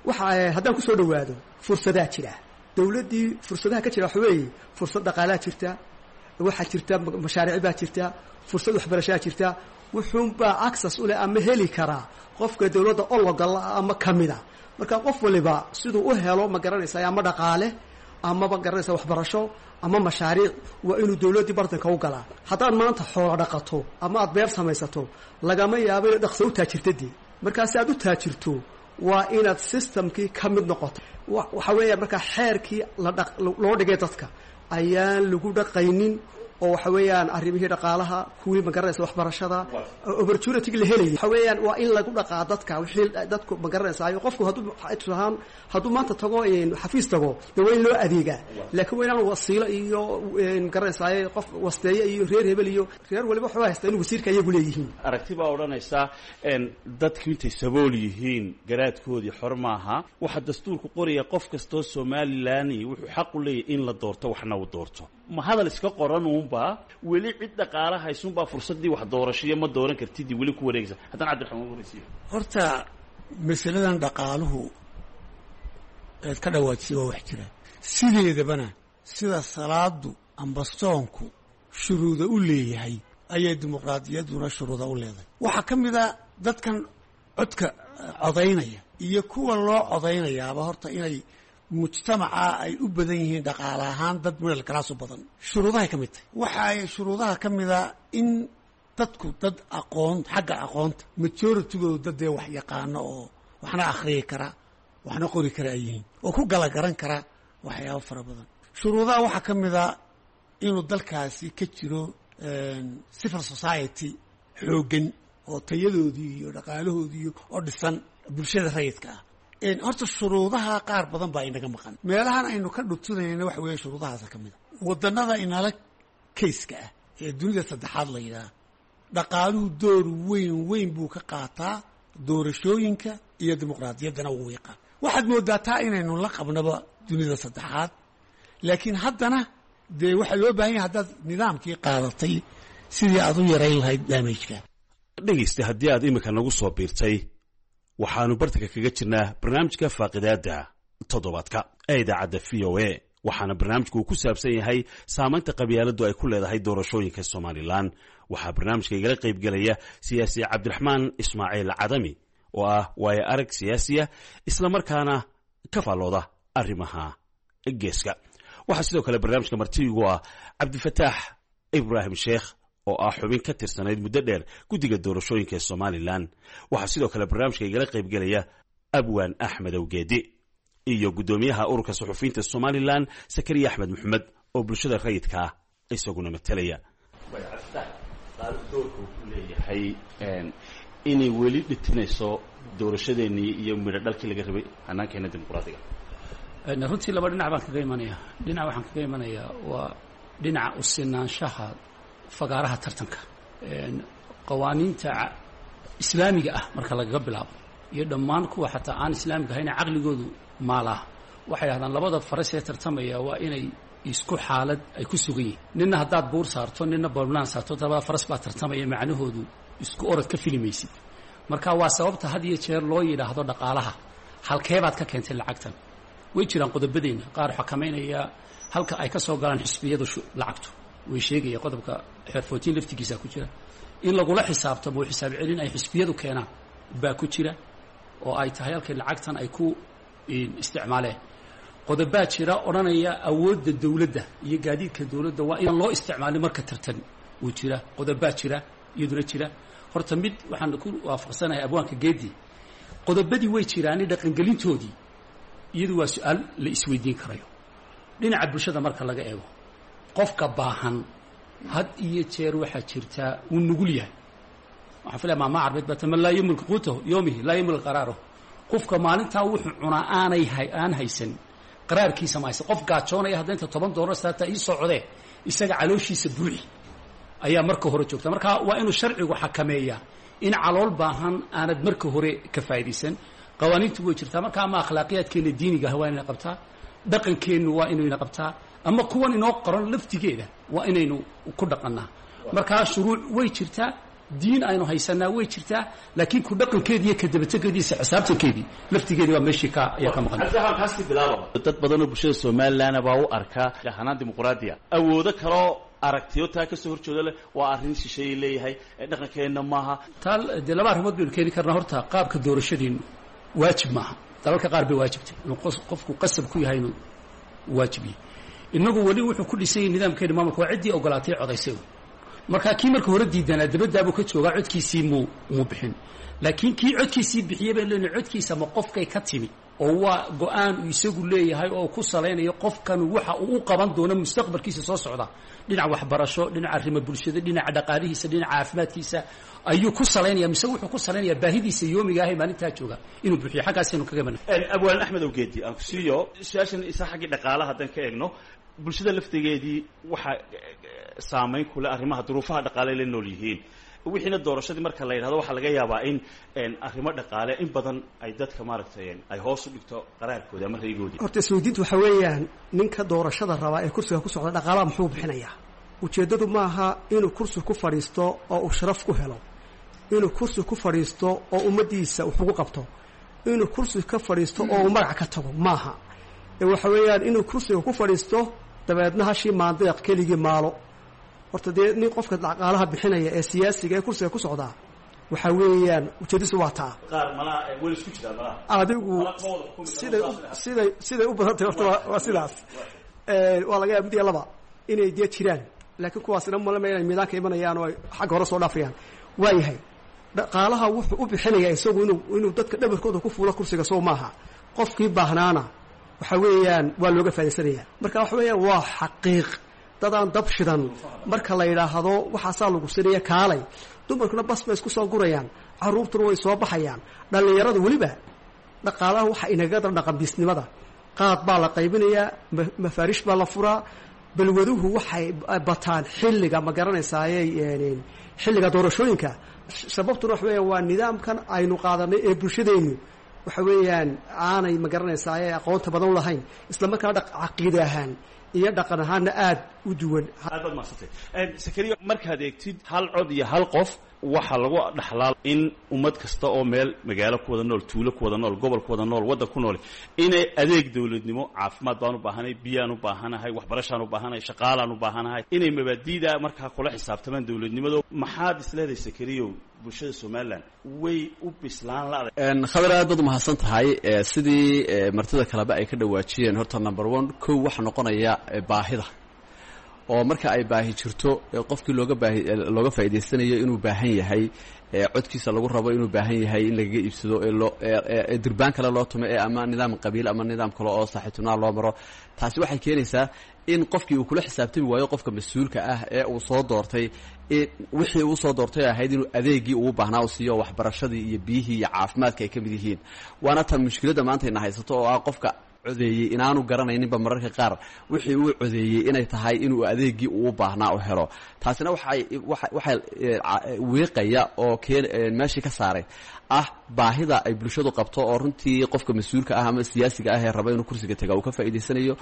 Waxa haddaan kusoo dhawaado fursadaa jira dawladdii, fursadaha ka jira waxa weeye fursad dhaqaalaa jirta, waxaa jirta mashaariic baa jirta, fursad waxbarashaa jirta. Wuxuunbaa access u leh ama heli karaa qofka dawladda ologala ama kamida. Marka qof waliba siduu u helo ma garanaysaa ama dhaqaale amaba garanaysaa waxbarasho ama mashaariic, waa inuu dawladdii bartanka u galaa. Haddaad maanta xoolo dhaqato ama aad beer samaysato, lagama yaabo inaad dhaqso u taajirta dee. Markaa si aad u taajirto waa inaad systemkii ka mid noqoto. Waxa weeya markaa xeerkii loo dhigay dadka ayaan lagu dhaqaynin, oo waxa weeyaan arrimihii dhaqaalaha, kuwii ma garanaysa waxbarashada, opportunity la helaya, waxa weeyaan waa in lagu dhaqaa dadka wixii dadku ma garanaysaayo. Qofku hadduu tusahaan hadduu maanta tago xafiis tago, dee waa in loo adeegaa, laakiin waa inaan wasiilo iyo ma garanaysaayo qof wasteeye iyo reer hebel iyo reer waliba waxuu haystaa in wasiirka iyagu leeyihiin. Aragti baa odhanaysa dadku intay sabool yihiin garaadkoodii xor maaha. Waxaa dastuurku qoraya qof kastoo Somalilan wuxuu xaq u leeyahy in la doorto, waxna uu doorto. Ma hadal iska qoran uunbaa weli cid dhaqaala haysuunbaa fursaddii wax doorashiyo ma dooran kartidii weli ku wareegaysa? Haddana Cabdiraxmaan waraysiyo. Horta masaladan dhaqaaluhu eed ka dhawaajisay waa wax jira sideedabana. Sida salaadu amba soonku shuruuda u leeyahay ayay dimuqraadiyadduna shuruuda u leedahay. Waxaa ka mid a dadkan codka codaynaya iyo kuwa loo codaynayaaba horta inay mujtamaca ay u badan yihiin dhaqaale ahaan dad middle class u badan, shuruudahay ka mid tahay. Waxa ay shuruudaha ka mid a in dadku dad aqoon xagga aqoonta majoritygoodu dad dee wax yaqaano oo waxna akhriyi kara waxna qori kara ay yihiin oo ku gala garan kara waxyaabo fara badan. Shuruudaha waxaa ka mid a inuu dalkaasi ka jiro civil society xooggan oo tayadoodii iyo dhaqaalahoodii oo dhisan bulshada rayidka ah. Horta shuruudaha qaar badan baa inaga maqan, meelahan aynu ka dhutinayna waxa weeye shuruudahaasa ka mid a. Wadannada inala kayska ah ee dunida saddexaad la yidhaha, dhaqaaluhu door weyn weyn buu ka qaataa doorashooyinka iyo dimuqraadiyaddana wuu yaqaan. Waxaad moodaa taa inaynu la qabnaba dunida saddexaad, laakiin haddana dee waxaa loo baahan yahay haddaad nidaamkii qaadatay sidii aad u yarayn lahayd damageka. Dhegaysta, haddii aad iminka nagu soo biirtay, waxaannu bartanka kaga jirnaa barnaamijka faaqidaadda toddobaadka ee idaacadda VOA. Waxaana barnaamijku uu ku saabsan yahay saamaynta qabyaaladdu ay ku leedahay doorashooyinka Somalilan. Waxaa barnaamijka igala qaybgelaya siyaasi Cabdiraxmaan Ismaaciil Cadami oo ah waayo arag siyaasiya islamarkaana ka faallooda arrimaha geeska. Waxaa sidoo kale barnaamijka martiigu ah Cabdifataax Ibraahim Sheekh oo ah xubin ka tirsanayd muddo dheer guddiga doorashooyinka ee Somalilan. Waxaa sidoo kale barnaamijka igala qaybgelaya Abwaan Axmed Awgeedi iyo guddoomiyaha ururka suxufiyiinta Somalilan Sakariya Axmed Maxamed oo bulshada rayidkaa isaguna matelaya. Doorka uu ku leeyahay inay weli dhitinayso doorashadeennii iyo midho dhalkii laga rabay hanaankeena dimuqraadiga. Runtii laba dhinac baan kaga imanaya. Dhinac waxaan kaga imanayaa waa dhinaca u sinaanshaha fagaaraha tartanka, qawaaniinta islaamiga ah marka lagaga bilaabo iyo dhammaan kuwa xataa aan islaamiga ahayna caqligoodu maalaa, waxay dhahdaan labada faras ee tartamaya waa inay isku xaalad ay ku sugan yihiin. Ninna haddaad buur saarto, ninna balnaan saarto, labada faras baa tartamaya, macnahoodu isku orod ka filimaysid. Marka waa sababta had iyo jeer loo yidhaahdo dhaqaalaha halkeebaad ka keentay lacagtan. Way jiraan qodobadeenna qaar xakamaynaya halka ay ka soo galaan xisbiyadu lacagtu, way sheegaya qodobka xeer 14 laftigiisa ku jira in lagula xisaabtamo, xisaab celin ay xisbiyadu keenaan baa ku jira, oo ay tahay halkay lacagtan ay ku isticmaaleen. Qodobaa jira odhanaya awoodda dowladda iyo gaadiidka dowladda waa inaan loo isticmaalin marka tartan uu jira. Qodobaa jira iyaduna jira. Horta mid waxaan ku waafaqsanahay abwaanka Geedi, qodobadii way jiraani, dhaqangelintoodii iyadu waa su-aal la isweydiin karayo. Dhinaca bulshada marka laga eego, qofka baahan had iyo jeer waxaa jirtaa wuu nugul yahay. Waxaan filaya maama carbeed baa man laa yamlik quutahu yoomihi laa yamlik qaraarahu. Qofka maalintaa wuxuu cunaa aanay aan haysan, qaraarkiisa ma haysan. Qof gaajoonaya hadda inta $10 saataa ii socdee, isaga calooshiisa buuxi ayaa marka hore joogta. Marka waa inuu sharcigu xakameeyaa in calool baahan aanad marka hore ka faa'idaysan. Qawaaniintu way jirtaa. Marka ama akhlaaqiyaadkeenna diiniga ah waa inayna qabtaa, dhaqankeennu waa inayna qabtaa, ama kuwan inoo qoran laftigeeda waa inaynu ku dhaqannaa. Markaa shuruuc way jirtaa, diin aynu haysanaa way jirtaa, laakiin ku dhaqankeedii iyo kadabategeediisa xisaabtankeedii laftigeedii waa meeshii ka ayaa ka maqan. Dad badanoo bulshada Somalilan baa u arkaa hanaan dimuqraadiya awoodo kaloo aragtiyo taa ka soo horjeedo leh, waa arrin shisheeye leeyahay, dhaqankeenna maaha. Taa dee laba arrimood baynu keeni karnaa. Horta qaabka doorashadeennu waajib maaha. Dalalka qaar bay waajibtay inuu qofku qasab ku yahay inuu waajib yahay. Innagu weli wuxuu ku dhisan yahay nidaamkeena maamulka waa ciddii ogolaatay codaysay. Marka kii marka hore diidanaa dabadaabuu ka joogaa, codkiisii muu bixin. Laakiin kii codkiisii bixiyey baynu leenahay codkiisa ma qofkay ka timi oo waa go-aan uu isagu leeyahay oo ku salaynayo qofkan waxa uu u qaban doono mustaqbalkiisa soo socda, dhinaca waxbarasho, dhinaca arrimo bulshada, dhinaca dhaqaalihiisa, dhinaca caafimaadkiisa ayuu ku salaynaya, mise wuxuu ku salaynayaa baahidiisa yoomiga ah ee maalintaa jooga inuu buuxiyo? Xaggaasaynu kaga imanay. Abwaan Axmed Awgeedi, aan ku siiyo su-aashan isa xaggii dhaqaalaha haddaan ka eegno, bulshada laftigeedii waxaa saamayn kule arrimaha duruufaha dhaqaale la nool yihiin. Wixiina doorashadii marka la yidhahdo waxaa laga yaabaa in arrimo dhaqaale in badan ay dadka maaragtay ay hoos u dhigto qaraarkooda ama raygoodii. Horta isweydiintu waxa weeyaan, ninka doorashada rabaa ee kursiga ku socda dhaqaalaha muxuu bixinayaa? Ujeeddadu maaha inuu kursi ku fadhiisto oo uu sharaf ku helo, inuu kursi ku fadhiisto oo ummaddiisa wax ugu qabto, inuu kursi ka fadhiisto oo uu magac ka tago maaha. Waxa weeyaan inuu kursiga ku fadhiisto dabeedna hashii maandeeq keligii maalo. Horta dee nin qofka dhaqaalaha bixinaya ee siyaasiga ee kursiga ku socdaa waxa weeyaan ujeedadiisu waa taa. Qaar malaa weli isku jiraan malaha. Adigu siday siday siday u badan tahay horta waa sidaas. Waa laga yaaba mid iyo laba inay dee jiraan, laakiin kuwaasina malama inay miidaanka imanayaan oo ay xagga hore soo dhaafayaan. Waayahay, dhaqaalaha wuxuu u bixinayaa isagu inuu dadka dhabarkooda ku fuulo kursiga, soo maaha? Qofkii baahnaana waxa weeyaan waa looga faa'idaysanaya. Marka waxa weeyaan waa xaqiiq dadaan dab shidan marka la yidhaahdo waxaasaa lagu sinaya kaalay, dumarkuna bas bay isku soo gurayaan, carruurtuna way soo baxayaan, dhallinyaradu weliba. Dhaqaalaha waxa inaga dar dhaqanbiisnimada, qaad baa la qaybinayaa, mafaarish baa la furaa, balwaduhu waxay bataan xilliga, ma garanaysaaye, xilliga doorashooyinka. Sababtuna waxa weeyaan waa nidaamkan aynu qaadanay ee bulshadeennu waxa weeyaan aanay, ma garanaysaaye, aqoonta badan u lahayn, isla markaana caqiide ahaan iyo dhaqan ahaanna aada u duwan. Aad baad mahadsantay, Sakariya. Markaad eegtid hal cod iyo hal qof waxaa lagu dhaxlaa in ummad kasta oo meel magaalo ku wada nool, tuulo ku wada nool, gobol ku wada nool, waddan ku nool, inay adeeg dowladnimo, caafimaad baan u baahanahay, biyaan u baahanahay, waxbarashaan u baahanahay, shaqaalaan u baahanahay, inay mabaadiida markaa kula xisaabtamaan dowladnimada. Maxaad isleedahay, Sakariyow, bulshada Somalilan way u bislaan la'day? Khadar, aad baad umahadsan tahay. Sidii martida kaleba ay ka dhawaajiyeen, horta number one kow waxaa noqonaya baahida, oo marka ay baahi jirto qofkii looga baahi looga faa'idaysanayo inuu baahan yahay, codkiisa lagu rabo inuu baahan yahay in lagaga iibsado, ee loo ee durbaan kale loo tumo ee ama nidaam qabiil ama nidaam kale oo saaxiibtinaa loo maro, taasi waxay keenaysaa in qofkii uu kula xisaabtami waayo qofka mas-uulka ah ee uu soo doortay, wixii uu soo doortay ahayd inuu adeegii ugu baahnaa u siiyo, waxbarashadii iyo biyihii iyo caafimaadka ay ka mid yihiin. Waana tan mushkiladda maanta ina haysato oo ah qofka codeeyey inaanu garanayninba mararka qaar wixii uu codeeyey inay tahay inuu adeegii uu baahnaa u helo. Taasina waxay waxay wiiqaya oo keen meeshii ka saaray ah baahida ay bulshadu qabto, oo runtii qofka mas-uulka ah ama siyaasiga ah ee raba inuu kursiga taga uu ka faa'iidaysanayo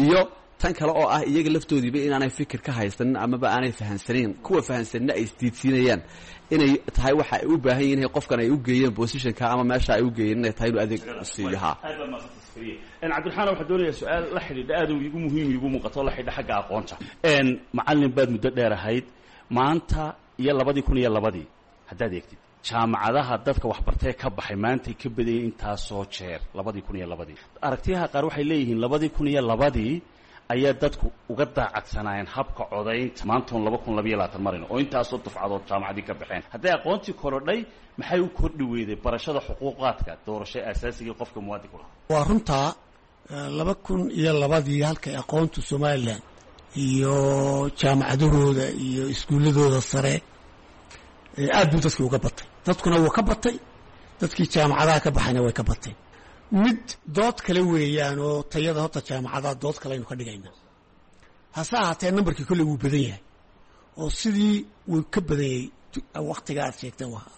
iyo Tan kale oo ah iyaga laftoodiiba inaanay fikir ka haysanin amaba aanay fahansanayn, kuwa fahansanina ay isdiidsiinayaan inay tahay waxa ay u baahan yihin qofkan ay u geeyeen positionka ama meesha ay u geeyeen inay tahay inuu adeeg siiyo. Ha, Cabdiraxmaan, waxaan doonayaa su-aal la xidhiidha aad igu muhiim igu muuqato, la xidhiidha xagga aqoonta. Macallin baad muddo dheer ahayd. Maanta iyo 2002-dii haddaad eegtid, jaamacadaha dadka waxbartee ka baxay maantay ka badayay intaasoo jeer 2002-dii. Aragtiyaha qaar waxay leeyihiin 2002-dii ayaa dadku uga daacadsanaayeen habka codaynta maantoon 2022 marayno oo intaasoo dufcadood jaamacadii ka baxeen. Hadday aqoontii korodhay, maxay u kordhi weyday barashada xuquuqaadka doorasho aasaasigai qofka muwaadinka lahaa? Waa runtaa, 2002-dii halkay aqoontu Somalilan iyo jaamacadahooda iyo iskuulladooda sare aad buu dadkii uga batay, dadkuna wuu ka batay, dadkii jaamacadaha ka baxayna way ka bateen. Mid dood kale weeyaan oo tayada horta jaamacadaha dood kale aynu ka dhigaynaa. Hase ahaatee, nambarkii kolley wuu badan yahay oo sidii wuu ka badan yahay waktiga aad sheegteen wahaa.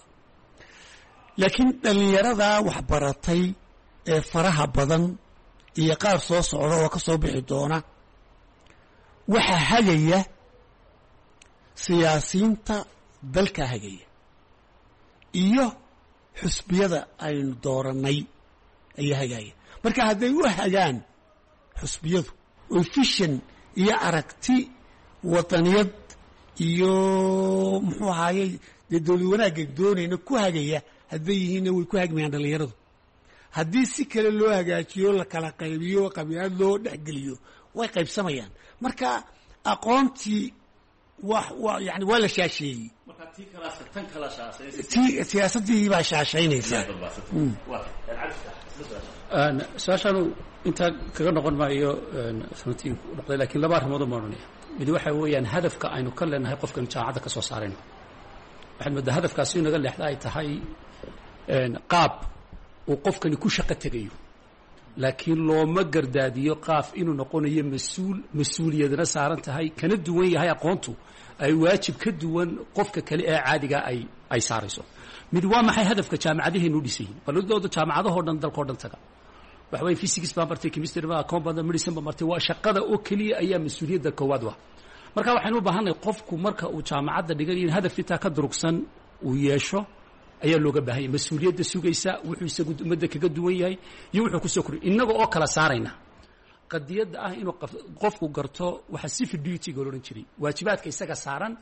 Laakiin dhallinyaradaa waxbaratay ee faraha badan iyo qaar soo socda oo ka soo bixi doona waxaa hagaya siyaasiyiinta dalka hagaya iyo xusbiyada aynu doorannay ayaa hagaya. Marka hadday u hagaan xusbiyadu oo vision iyo aragti wadaniyad iyo muxuu ahaayey dee dowlad wanaagga doonayna ku hagaya hadday yihiinna, way ku hagmayaan dhallinyaradu. Haddii si kale loo hagaajiyo, la kala qaybiyo, qabiilad loo dhexgeliyo, way qaybsamayaan. Marka aqoontii wa yani waa la shaasheeyey, ti siyaasaddii baa shaashaynaysa. Su-aashaanu intaa kaga noqon maayo runtii noqday, lakiin laba arrimood baan odhanaya. Mid waxa weeyaan hadafka aynu ka leenahay qofkaynu jaamacadda ka soo saarayno. Waxaad moodaa hadafkaasi inaga leexda ay tahay qaab uu qofkani ku shaqo tegayo, laakiin looma gardaadiyo qaaf inuu noqonayo mas-uul, mas-uuliyadna saaran tahay, kana duwan yahay aqoontu ay waajib ka duwan qofka kale ee caadiga ay saarayso. Mid waa maxay hadafka jaamacadaheenu u dhisayihin? Balidooda jaamacadahoo dhan dalkao dhan taga, waxa weye physics baan bartay, chemistry baa, account baan, medicine baan bartay, waa shaqada oo keliya ayaa mas-uuliyadda koowaad wa. Marka waxaynu u baahannahay qofku marka uu jaamacadda dhiganayo in hadaf intaa ka durugsan uu yeesho ayaa looga baahanya, mas-uuliyadda sugaysa, wuxuu isagu ummadda kaga duwan yahay iyo wuxuu kusoo koriy. Innaga oo kala saarayna qadiyadda ah inuu qofku garto waxa civic duty-ga la odhan jiray, waajibaadka isaga saaran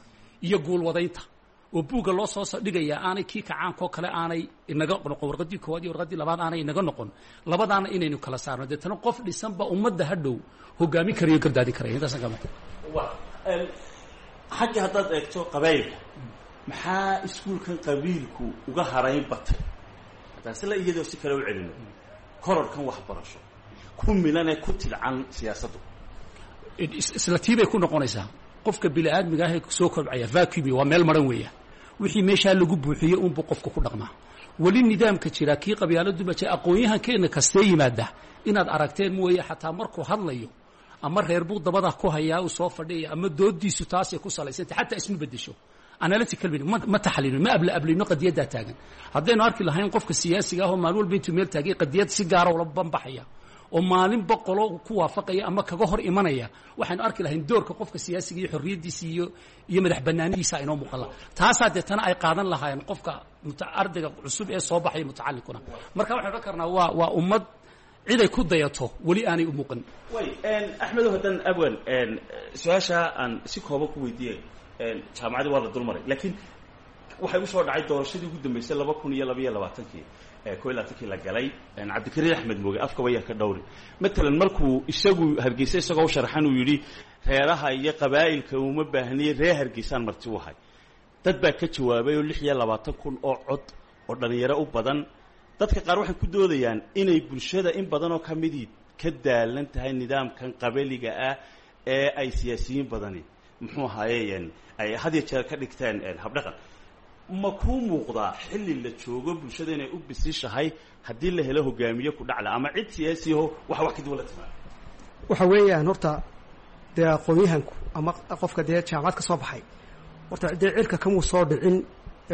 iyo guulwadaynta oo buugga loo soo dhigaya aanay kii kacaankoo kale aanay inaga noqon, warqaddii koowaad iyo warqaddii labaad aanay inaga noqon, labadaana inaynu kala saarno, deetana qof dhisanba ummadda hadhow hogaamin karayo, gardaadin karaya. Intaasan kama Xagga haddaad eegto qabaylka, maxaa iskuulkan qabiilku uga harayn batay? Haddaan sila iyadoo si kale u celino, kororkan waxbarasho ku milanee ku tidcan siyaasaddu? Isla tii bay ku noqonaysaa. Qofka bini aadmiga ah ee soo kobcaya vacuum waa meel maran weeya, wixii meeshaa lagu buuxiyey unbuu qofka ku dhaqmaa. Weli nidaamka jira kii qabyaaladuma jira. Aqoon-yahankeena kastee yimaada inaad aragteen mooye, xataa markuu hadlayo ama reer buu dabada ku hayaa uu soo fadhiyaya ama doodiisu taasay ku salaysantay, xataa isma bedesho analytical ma taxliilino, ma abla ablino qadiyaddaa taagan. Haddaynu arki lahayn qofka siyaasiga ah oo maalin walba intuu meel taagay qadiyad si gaara ula banbaxaya oo maalin boqolo ku waafaqaya ama kaga hor imanaya, waxaynu arki lahayn doorka qofka siyaasiga iyo xorriyaddiisa iyo madax banaanidiisa inoo muuqan laha. Taasaa deetana ay qaadan lahaayeen qofka ardayga cusub ee soo baxaya mutacallinkuna. Marka waxaynu odhan karnaa waa ummad ciday ku dayato weli aanay u muuqan. Way Axmedow, haddaan abwan su-aashaa aan si kooban ku weydiiyey, jaamacadii waa la dulmaray, laakiin waxay usoo dhacay doorashadii ugu dambeysay 2022-kii, 21-kii la galay. Cabdikariin Axmed Mooge afkaba yaa ka dhowri, matalan markuu isagu Hargeysa isagoo u sharaxan uu yidhi reeraha iyo qabaa'ilka uma baahniye, reer Hargeysaan marti u ahay, dad baa ka jawaabay oo 26,000 oo cod oo dhallinyaro u badan. Dadka qaar waxay ku doodayaan inay bulshada in badan oo ka midii ka daalan tahay nidaamkan qabaliga ah ee ay siyaasiyiin badani muxuu ahaayeen ay had iyo jeer ka dhigteen habdhaqan. Ma kuu muuqdaa xilli la joogo bulshada inay u bisishahay haddii la helo hogaamiye ku dhacla ama cid siyaasiyaho waxa wax kaduwan la timaado? Waxa weeyaan horta dee aqoon-yahanku ama qofka dee jaamacad ka soo baxay horta dee cirka kamuu soo dhicin,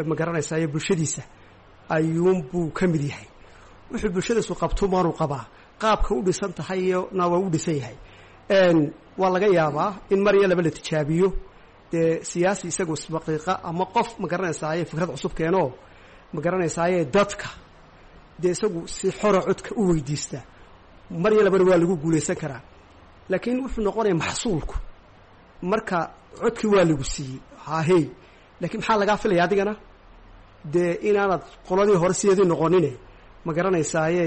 ma garanaysaa, iyo bulshadiisa ayuunbuu ka mid yahay. Wuxuu bulshadiisu qabto maanuu qabaa, qaabka u dhisan tahayna waa u dhisan yahay. Waa laga yaabaa in mar iyo laba la tijaabiyo dee siyaasi isagu isbaqiiqa ama qof ma garanaysaaye fikrad cusub keenoo ma garanaysaaye dadka dee isagu si xora codka u weydiista, mar iyo labana waa lagu guulaysan karaa. Laakiin wuxuu noqonaya maxsuulku marka codkii waa lagu siiyey hahey, laakiin maxaa lagaa filaya adigana dee inaanad qoladii hore sideedii noqonine ma garanaysaaye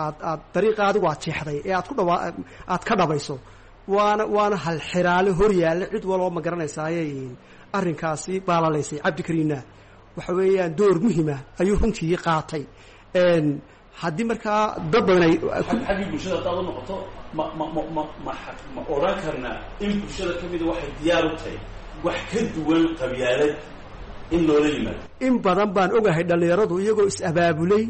aad dariiqa adigu aad jeexday ee aad ku dhawa aad ka dhabayso. Waana halxiraale hor yaalla cid waloo ma garanaysaaye arrinkaasi baalalaysay. Cabdikariinna waxa weeyaan door muhima ayuu runtii qaatay. Haddii markaa dad badan ay xaggii bulshada haddaad u noqoto, ma ma ma ma ma ma odhan karnaa in bulshada ka mida waxay diyaar u tahay wax ka duwan qabyaalad in loola yimaado? In badan baan ogahay dhallinyaradu iyagoo is-abaabulay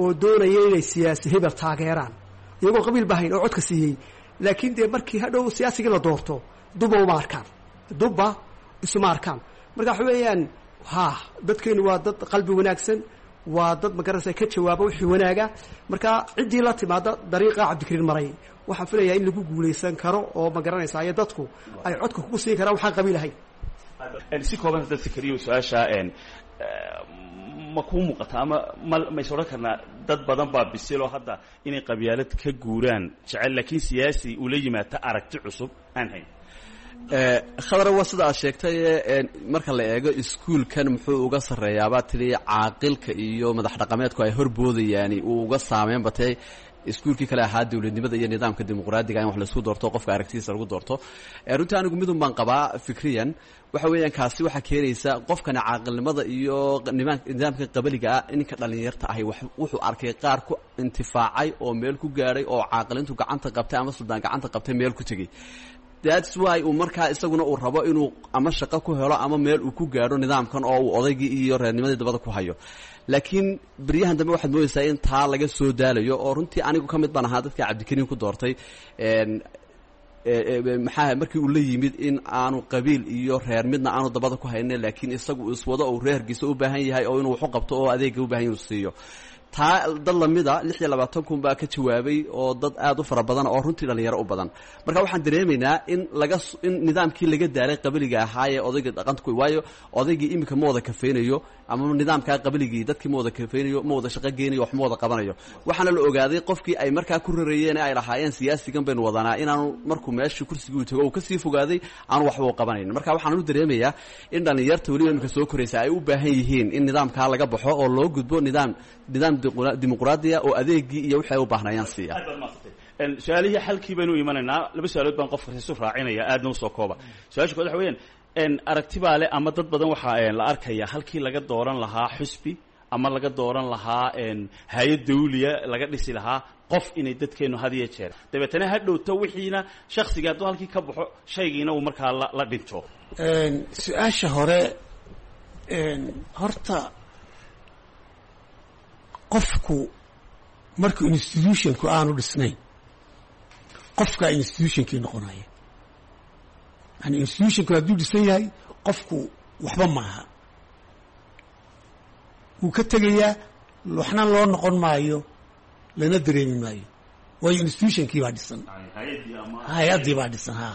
oo doonaya inay siyaasi hebel taageeraan iyagoo qabiil bahayn oo codka siiyey, laakiin dee markii hadhow siyaasigii la doorto duba uma arkaan, dubba isuma arkaan. Marka waxa weeyaan ha dadkeenu waa dad qalbi wanaagsan, waa dad magaranaysa ka jawaaba wixii wanaaga. Marka ciddii la timaada dariiqa Cabdikariin maray waxaan filayaa in lagu guulaysan karo oo ma garanaysa iyo dadku ay codka kugu siin karaan waxaan qabiil ahayn. Si kooban haddaad Sakariyo su-aasha, ma kuu muuqata ama ma mays odhan karnaa dad badan baa bisiloo hadda inay qabyaalad ka guuraan jecel, laakiin siyaasi ula yimaata aragti cusub aan hayn? Khadar, waa sida aad sheegtay. Marka la eego iskuulkan muxuu uga sarreeyaabaa tidhi caaqilka iyo madax dhaqameedku ay horboodayaani uu uga saameyn batay iskuulkii kale ahaa dowladnimada iyo nidaamka dimuqraadiga in wax laisku doorto, qofka aragtidiisa lagu doorto. Runtii anigu midun baan qabaa fikriyan, waxa weeyaan kaasi waxaa keenaysa qofkani caaqilnimada iyo nidaamka qabaliga ah. Ninka dhallinyarta ahi wuxuu arkay qaar ku intifaacay oo meel ku gaadhay oo caaqilintu gacanta qabtay ama suldaan gacanta qabtay meel ku tegey. That's why uu markaa isaguna uu rabo inuu ama shaqo ku helo ama meel uu ku gaadho nidaamkan oo uu odaygii iyo reernimadii dabada ku hayo. Laakiin beryahan dambe waxaad moodaysaa in taa laga soo daalayo, oo runtii anigu ka mid baan ahaa dadka Cabdikariin ku doortay. Maxaa markii uu la yimid in aanu qabiil iyo reer midna aanu dabada ku haynin, laakiin isagu iswado oo reer Hargeysa u baahan yahay oo inuu waxu qabto oo adeega u baahan yahay uu siiyo. Taa dad lamida 26,000 baa ka jawaabay oo dad aad u fara badan oo runtii dhalinyaro u badan. Marka waxaan dareemaynaa in laga in nidaamkii laga daalay qabiliga ahaa ee odayga dhaqanka ku, waayo odaygii iminka ma wada kafeynayo ama nidaamkaa qabiligii dadkii ma wada kafeynayo, ma wada shaqo geynayo, wax ma wada qabanayo. Waxaana la ogaaday qofkii ay markaa ku rarayeen ee ay lahaayeen siyaasigan baynu wadanaa inaanu markuu meeshii kursigii uu tago uu kasii fogaaday, aanu waxba u qabanayn. Marka waxaan u dareemayaa in dhalinyarta weliba iminka soo koraysa ay u baahan yihiin in nidaamkaa laga baxo oo loo gudbo nidaam dimuqraadiya oo adeegii iyo wixii ay u baahnayaan siiya. Aad baad mahadsantay. Su-aalihii xalkii baynu imanaynaa. Laba su-aalood baan qofka isu raacinaya, aadna usoo kooba. Su-aasha kood waxa weeyaan, aragti baa le ama dad badan waxaa la arkaya halkii laga dooran lahaa xusbi ama laga dooran lahaa hay-ad dawliya laga dhisi lahaa qof, inay dadkeenu had iyo jeer dabeetana ha dhowto wixiina shaksiga hadduu halkii ka baxo shaygiina uu markaa la dhinto. Su-aasha hore horta, qofku markuu institutionku aanu dhisnayn qofkaa institutionkii noqonaya. Yani institutionku hadduu dhisan yahay qofku waxba maaha, wuu ka tegayaa, waxna loo noqon maayo, lana dareemi maayo, waayo institutionkii baa dhisan, hay-addii baa dhisan ha.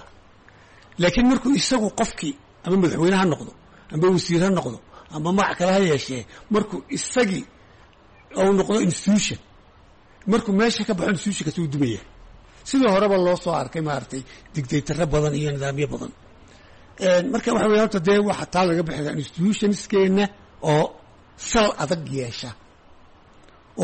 Laakiin markuu isagu qofkii ama madaxweyne ha noqdo ama wasiir ha noqdo ama magac kale ha yeeshee, markuu isagii ou noqdo institution, markuu meesha ka baxo institutionkaasi wuu dumaya. Sidii horeba loo soo arkay maaragtay dictatorro badan iyo nidaamyo badan. Marka waxa weya horta dee waxa taa laga bixi institutionskeenna oo sal adag yeesha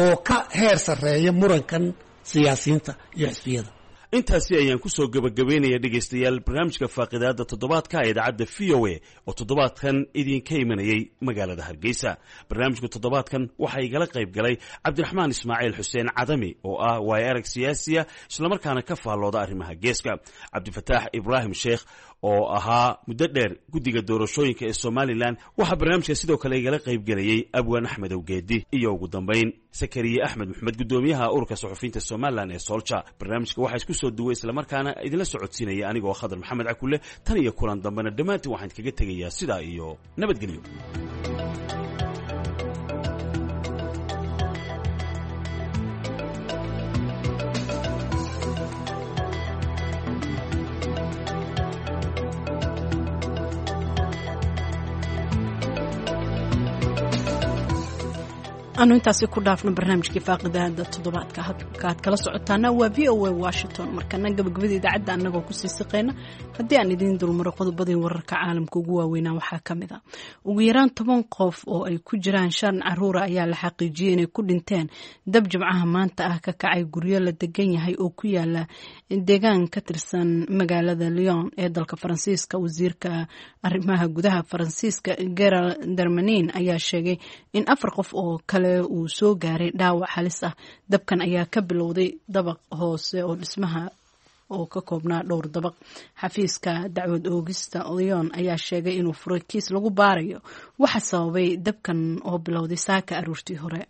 oo ka heer sarreeya murankan siyaasiyiinta iyo xisbiyada. Intaasi ayaan ku soo gebagabaynaya, dhegaystayaal, barnaamijka faaqidaadda toddobaadka ee idaacadda VOA oo toddobaadkan idinka imanayay magaalada Hargeysa. Barnaamijka toddobaadkan waxaa igala qayb galay Cabdiraxmaan Ismaaciil Xuseen Cadami oo ah waayo arag siyaasiya islamarkaana ka faallooda arrimaha geeska, Cabdifataax Ibraahim Sheekh oo ahaa muddo dheer guddiga doorashooyinka ee Somalilan. Waxaa barnaamijka sidoo kale igala qayb gelayey Abwaan Axmed Owgeedi iyo ugu dambayn Sakariye Axmed Maxmed, guddoomiyaha ururka suxufiyiinta Somalilan ee Solja. Barnaamijka waxaa isku soo duway islamarkaana idinla socodsiinaya anigoo Khadar Maxamed Cakule. Tan iyo kulan dambena dhammaantiin waxaan idkaga tegayaa sidaa iyo nabadgelyo. Aanu intaasi ku dhaafno barnaamijkii faaqidaada toddobaadka. Halka aad kala socotaana waa VOA Washington. Markana gabagabada idaacadda annagoo kusii siqayna, haddii aan idiin dulmaro qodobadii wararka caalamka ugu waaweynaa, waxaa ka mid a ugu yaraan 10 qof oo ay ku jiraan shan caruura ayaa la xaqiijiyey inay ku dhinteen dab Jimcaha maanta ah ka kacay guryo la degan yahay oo ku yaala deegaan ka tirsan magaalada Lyon ee dalka Faransiiska. Wasiirka arrimaha gudaha Faransiiska, Gerald Darmanin, ayaa sheegay in afar qof oo kale uu soo gaaray dhaawac halis ah. Dabkan ayaa ka bilowday dabaq hoose oo dhismaha oo ka koobnaa dhowr dabaq. Xafiiska dacwad oogista Lyon ayaa sheegay inuu furay kiis lagu baarayo waxa sababay dabkan oo bilowday saaka aroortii hore.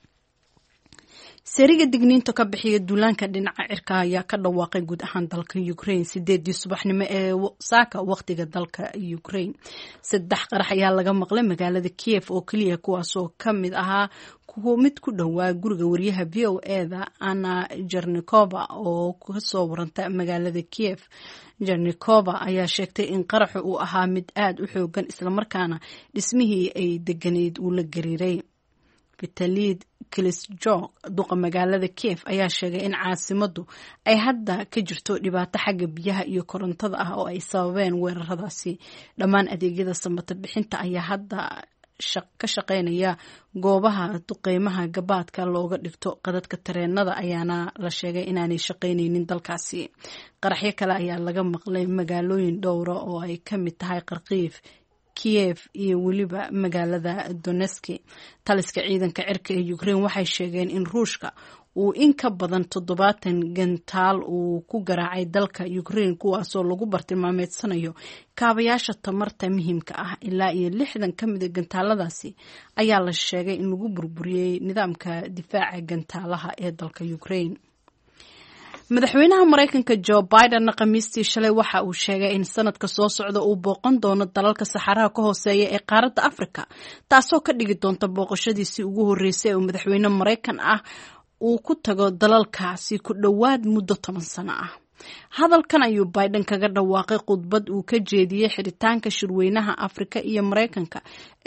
Seeriga digniinta ka bixiya duulaanka dhinaca cirka ayaa ka dhawaaqay guud ahaan dalka Ukraine 8dii subaxnimo ee saaka, waqtiga dalka Ukraine. Saddex qarax ayaa laga maqlay magaalada Kiev oo keliya, kuwaasoo ka mid ahaa mid ku dhowaa guriga wariyaha VOA-da Anna Jernikova oo kasoo waranta magaalada Kiev. Jernikova ayaa sheegtay in qaraxu uu ahaa mid aada u xoogan, islamarkaana dhismihii ay deganeyd uu la gariiray. Vitali Klitschko, duqa magaalada Kiev, ayaa sheegay in caasimadu ay hadda ka jirto dhibaato xagga biyaha iyo korontada ah oo ay sababeen weeraradaasi. Dhammaan adeegyada samata bixinta ayaa hadda ka shaqeynaya goobaha duqeymaha gabaadka looga dhigto. Qadadka tareenada ayaana la sheegay inaanay shaqeyneynin dalkaasi. Qaraxyo kale ayaa laga maqlay magaalooyin dhowra oo ay ka mid tahay Kharkiif, Kiev iyo weliba magaalada Donetsk. Taliska ciidanka cirka ee Ukraine waxay sheegeen in Ruushka uu in ka badan 70 gantaal uu ku garaacay dalka Ukraine, kuwaasoo lagu bartilmaameedsanayo kaabayaasha tamarta muhiimka ah. Ilaa iyo 60 ka mida gantaaladaasi ayaa la sheegay in lagu burburiyey nidaamka difaaca gantaalaha ee dalka Ukraine. Madaxweynaha Mareykanka Joe Bidenna Khamiistii shalay waxa uu sheegay in sanadka soo socda uu booqan doono dalalka Saxaraha ka hooseeya ee qaaradda Afrika, taasoo ka dhigi doonta booqashadiisii ugu horreysay ee uu madaxweyne Mareykan ah uu ku tago dalalkaasi ku dhowaad muddo 10 sano ah. Hadalkan ayuu Biden kaga dhawaaqay khudbad uu ka jeediyey xiritaanka shirweynaha Afrika iyo Mareykanka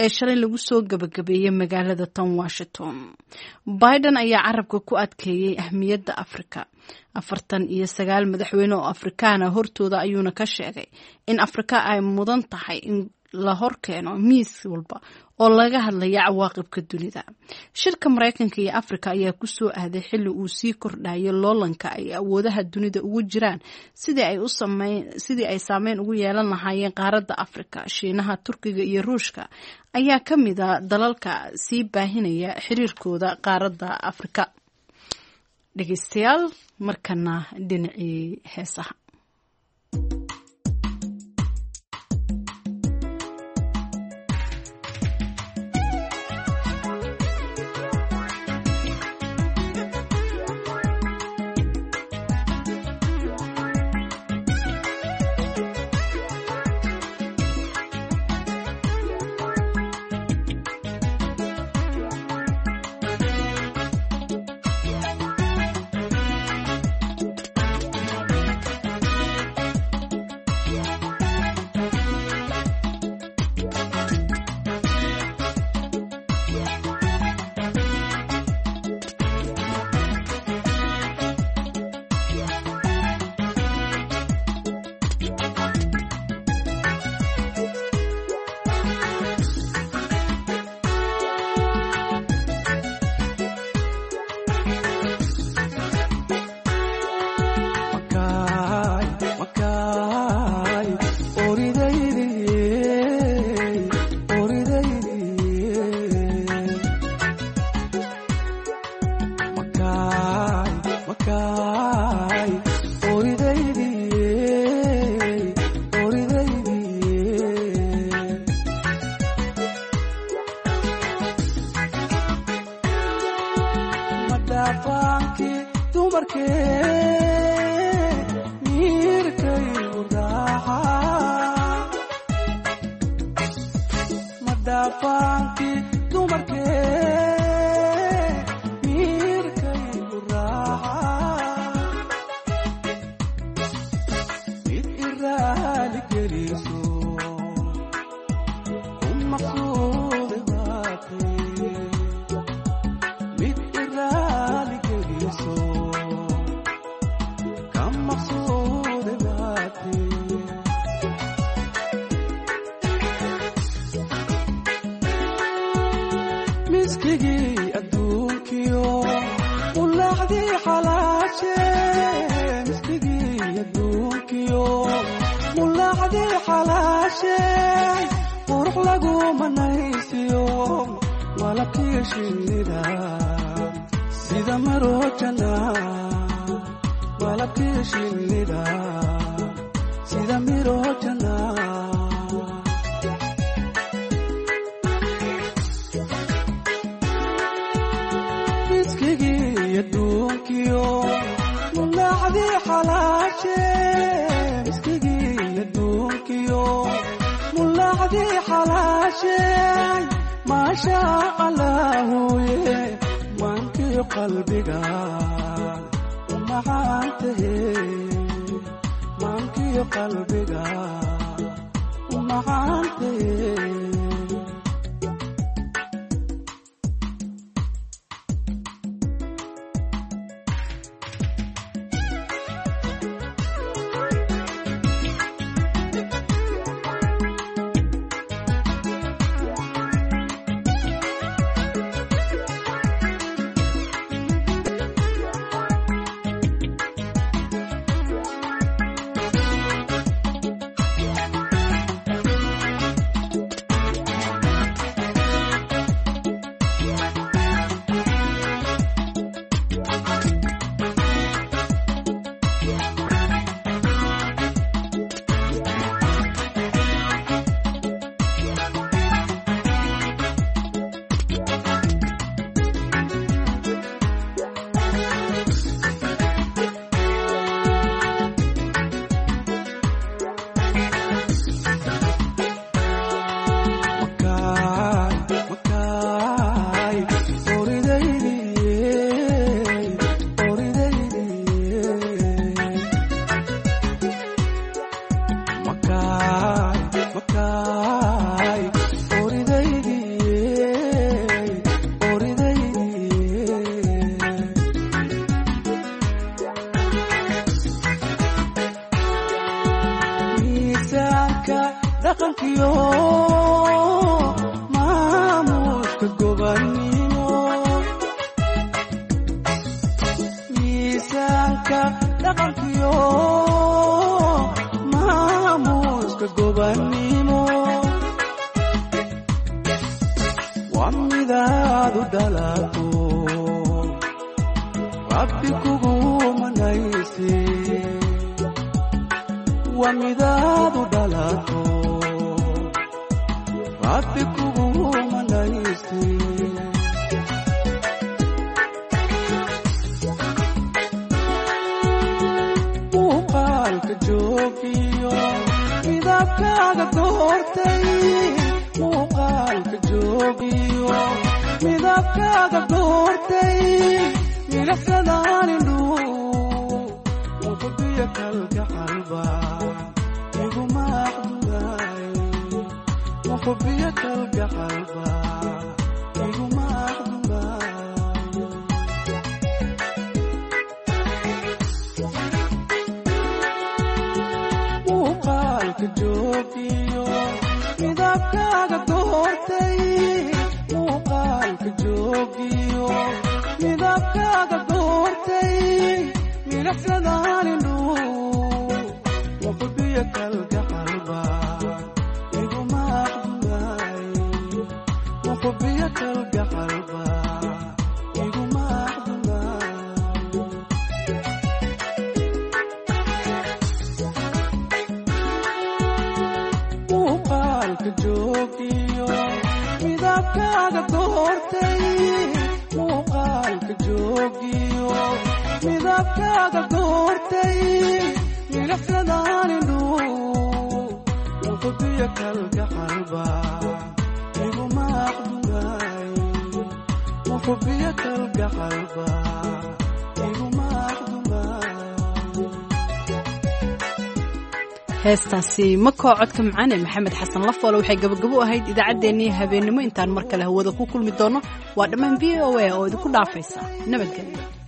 ee shalay lagu soo gabagabeeyey magaalada tan Washington. Biden ayaa carabka ku adkeeyey ahmiyadda Afrika. 49 madaxweyne oo Afrikaana hortooda ayuuna ka sheegay in Afrika ay mudan tahay in la horkeeno miis walba oo laga hadlaya cawaaqibka dunida. Shirka Mareykanka iyo Afrika ayaa kusoo aaday xilli uu sii kordhayo loolanka ay awoodaha dunida ugu jiraan sidii ay saameyn ugu yeelan lahaayeen qaaradda Afrika. Shiinaha, Turkiga iyo Ruushka ayaa ka mida dalalka sii baahinaya xiriirkooda qaaradda Afrika. Dhegeystayaal, markana dhinacii heesaha. Mulaacdii xalaashee miskigii adduunkiyo, mulaacdii xalaashee qurux lagu manaysiyo, malabkiyo shinnida sida marojana, malabkiyo shinnida sida mirojana. Miskigii adduunkiyo mulaacdii xalaashee, miskigii adduunkiyo mulaacdii xalaashee, maasha allaahuye maankiyo qalbiga u macaantahe, maankiyo qalbiga u macaantahe. Miisaanka dhaqankiyo maamuuska gobannimo, miisaanka dhaqankiyo maamuuska gobannimo, waa midaad u dhalato rabbi kugu manaysi, waa midaad u dhalato rabbi kugu manaysi. Muuqaalka joogiyo midabkaaga doortay, muuqaalka joogiyo midabkaaga doortay, milicsadaan indhuhu muqdiyo kalgacalba iguma aqdugaay, muqdiyo kalgacalba iguma aqdugaay. Muuqaalka joogiyo midabkaaga doortay, muuqaalka joogiyo midabkaaga doortay, milicsadaan indhuhu muqdiyo kalgacalba iguma aqdugaay, muqdiyo kalgacalba iguma aqdugaay. Muuqaalka joogiyo midabkaaga doortay, muuqaalka joogiyo midabkaaga doortay, milicsadaan indhuhu muqdiyo kalgacalba iguma aqdugaay, muqdiyo kalgacalba iguma aqdugaay. Heestaasi makoo codka macaan ee Maxamed Xasan Lafoole waxay gabagabo u ahayd idaacaddeenii habeennimo. Intaan mar kale hawada ku kulmi doono, waa dhammaan VOA oo idinku dhaafaysa nabadgelyo.